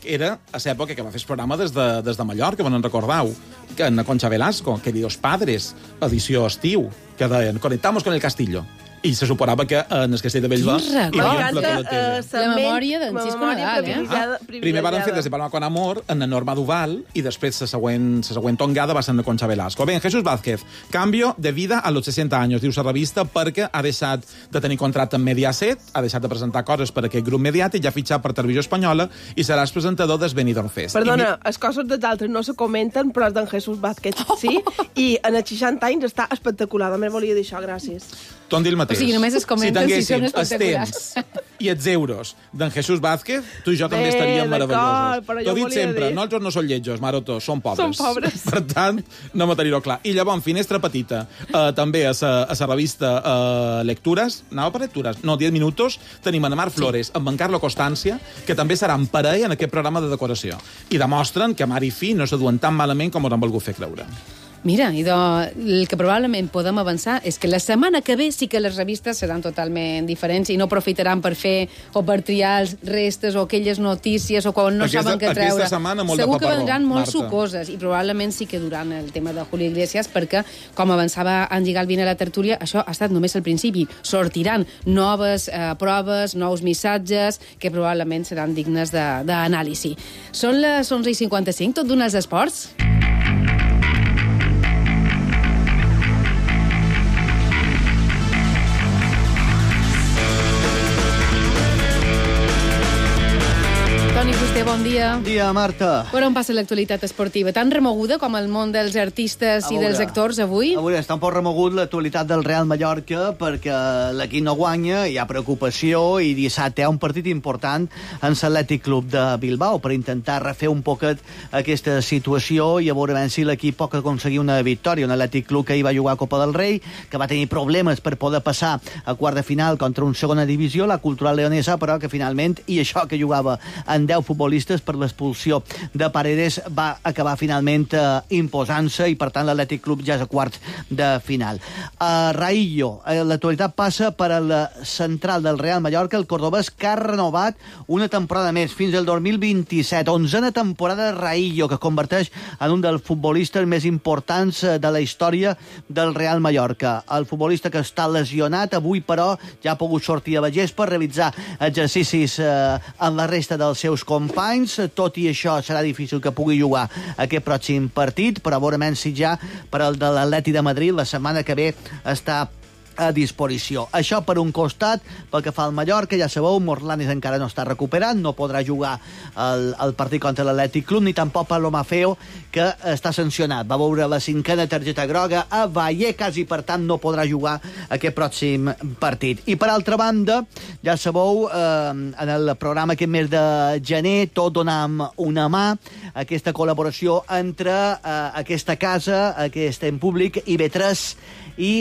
Era a l'època que va fer el programa des de Mallorca, on en recordau, que en Concha Velasco, que dius Padres, edició estiu, que deien, conectamos con el Castillo. I se suposava que en el Castell de Bellver hi havia un plató de tele. La memòria d'en Xisco Nadal, Primer van fer des de Palma con Amor en la Norma Duval i després la següent tongada va ser en la Concha Velasco. Bé, Jesús Vázquez, cambio de vida a los 60 anys, diu la revista, perquè ha deixat de tenir contracte amb Mediaset, ha deixat de presentar coses per aquest grup mediàtic, ja ha fitxat per Televisió Espanyola i serà el presentador del Benidorm Fest. Perdona, els cossos dels altres no se comenten, però els d'en Jesús Vázquez sí, i en els 60 anys està espectacular. Només volia dir això, gràcies. T'ho dir el mateix. O sigui, només es comenten si són espectaculars. I els euros d'en Jesús Vázquez, tu i jo també estaríem meravellosos. T'ho he dit sempre, nosaltres no som lletjos, Maroto, som pobres. Som pobres. Per tant, no m'ho tenir-ho clar. I llavors, finestra petita, també a la revista Lectures, anava per Lectures? No, 10 Minutos, tenim a Mar Flores amb en Carlo Constància, que també seran parella en aquest programa de decoració. I demostren que mare i fill no se duen tan malament com us han volgut fer creure. Mira, el que probablement podem avançar és que la setmana que ve sí que les revistes seran totalment diferents i no aprofitaran per fer o per triar els restes o aquelles notícies o quan no saben què treure. Aquesta setmana molt segur de paperró, que vendran molt Marta. sucoses i probablement sí que duran el tema de Julio Iglesias perquè, com avançava Angie Galvin a la tertúlia, això ha estat només el principi. Sortiran noves proves, nous missatges que probablement seran dignes d'anàlisi. Són les 11:55, tot d'un als esports. Bon dia. Bon dia, Marta. Per on passa l'actualitat esportiva? Tan remoguda com el món dels artistes i dels actors avui? Avui està un poc remogut l'actualitat del Real Mallorca perquè l'equip no guanya, hi ha preocupació i dissabte hi ha un partit important en l'Atlètic Club de Bilbao per intentar refer un poquet aquesta situació i a veure si l'equip pot aconseguir una victòria. Un Atlètic Club que hi va jugar a Copa del Rei, que va tenir problemes per poder passar a quart de final contra un segona divisió, la Cultural Leonesa, però que finalment, i això que jugava en 10 futbolistes per l'expulsió de Paredes, va acabar finalment imposant-se i per tant l'Atlètic Club ja és a quarts de final. Raillo, l'actualitat passa per a la central del Real Mallorca, el cordobès, que ha renovat una temporada més fins al 2027, 11a temporada de Raillo, que es converteix en un dels futbolistes més importants de la història del Real Mallorca. El futbolista que està lesionat avui, però, ja ha pogut sortir a la gespa, realitzar exercicis en la resta dels seus companys. Tot i això serà difícil que pugui jugar aquest pròxim partit, però veurem si ja per al de l'Atlètic de Madrid la setmana que ve està a disposició. Això per un costat, pel que fa al Mallorca, ja sabeu, Morlanes encara no està recuperat, no podrà jugar el partit contra l'Atlètic Club, ni tampoc Pablo Maffeo, que està sancionat. Va veure la 5a targeta groga a Vallecas i, per tant, no podrà jugar aquest pròxim partit. I, per altra banda, ja sabeu, en el programa aquest mes de gener, tot donam una mà, aquesta col·laboració entre aquesta casa, aquest en públic, IB3 i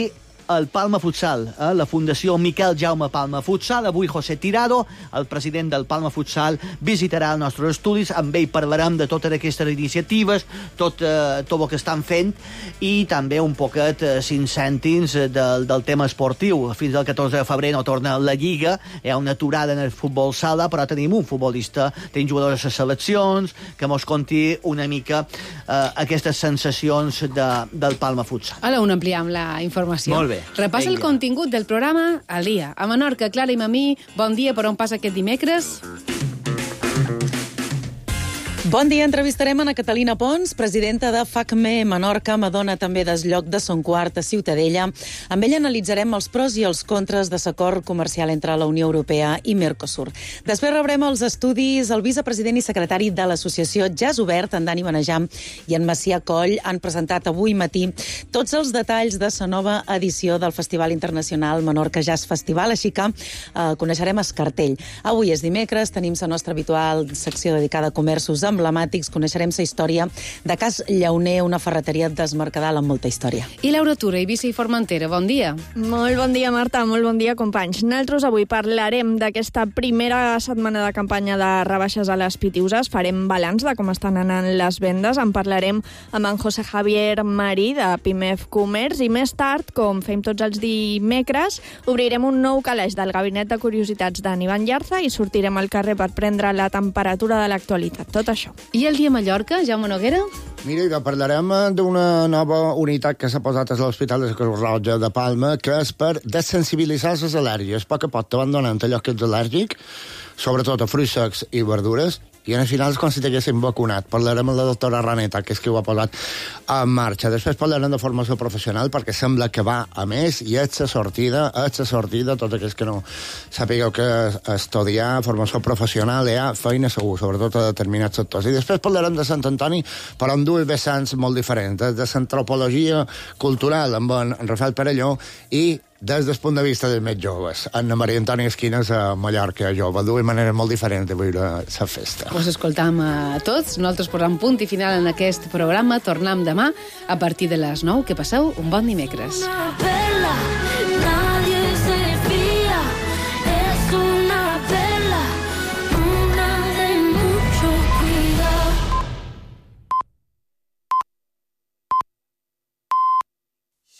el Palma Futsal, la Fundació Miquel Jaume Palma Futsal. Avui José Tirado, el president del Palma Futsal, visitarà els nostres estudis. Amb ell parlarem de totes aquestes iniciatives, tot el que estan fent i també un poquet 5 cèntims del tema esportiu. Fins al 14 de febrer no torna la Lliga, hi ha una aturada en el futbol sala, però tenim un futbolista, tenim jugadors a seleccions, que mos conti una mica aquestes sensacions del Palma Futsal. A la una ampliem la informació. Molt bé. bé. Repassa el contingut del programa al dia. A Menorca, Clara i Mamí, bon dia, per on passa aquest dimecres? Bon dia, entrevistarem a Catalina Pons, presidenta de FACME Menorca, Madona també d'Esllòc de Son Quart a Ciutadella. Amb ella analitzarem els pros i els contres de l'acord comercial entre la Unió Europea i Mercosur. Després rebrem els estudis. El vicepresident i secretari de l'associació Jazz Obert, en Dani Benejam i en Macià Coll, han presentat avui matí tots els detalls de la nova edició del Festival Internacional Menorca Jazz Festival, així que coneixerem el cartell. Avui és dimecres, tenim la nostra habitual secció dedicada a comerços emblemàtics, coneixerem la història de Cas Llauner, una ferreteria desmercadal amb molta història. I Laura Tura, Eivissa i Formentera, bon dia. Molt bon dia, Marta, molt bon dia, companys. Nosaltres avui parlarem d'aquesta primera setmana de campanya de rebaixes a les Pitiuses, farem balanç de com estan anant les vendes, en parlarem amb en José Javier Marí, de Pimef Comerç, i més tard, com fem tots els dimecres, obrirem un nou calaix del Gabinet de Curiositats d'en Ivan Llarza i sortirem al carrer per prendre la temperatura de l'actualitat. Tot això. I el dia a Mallorca, Jaume Noguera? Mira, ja parlarem d'una nova unitat que s'ha posat a l'Hospital de Creu Roja de Palma, que és per desensibilitzar les al·lèrgies. A poc a poc te van donant allò que ets al·lèrgic, sobretot a fruits secs i verdures, i al final és com si t'haguessin vacunat. Parlarem amb la doctora Raneta, que és qui ho ha posat en marxa. Després parlarem de formació professional, perquè sembla que va a més, i ets a sortida, tots aquells que no sapigueu que estudiar formació professional hi ha feina segur, sobretot a determinats sectors. I després parlarem de Sant Antoni, però amb dues vessants molt diferents, de l'antropologia cultural amb en Rafael Perelló i des del punt de vista dels més joves, Anna Maria Antònia Esquines a Mallorca jove, dues maneres molt diferents de viure la festa. Us escoltam a tots, nosaltres posam punt i final en aquest programa, tornem demà a partir de les 9, que passeu un bon dimecres.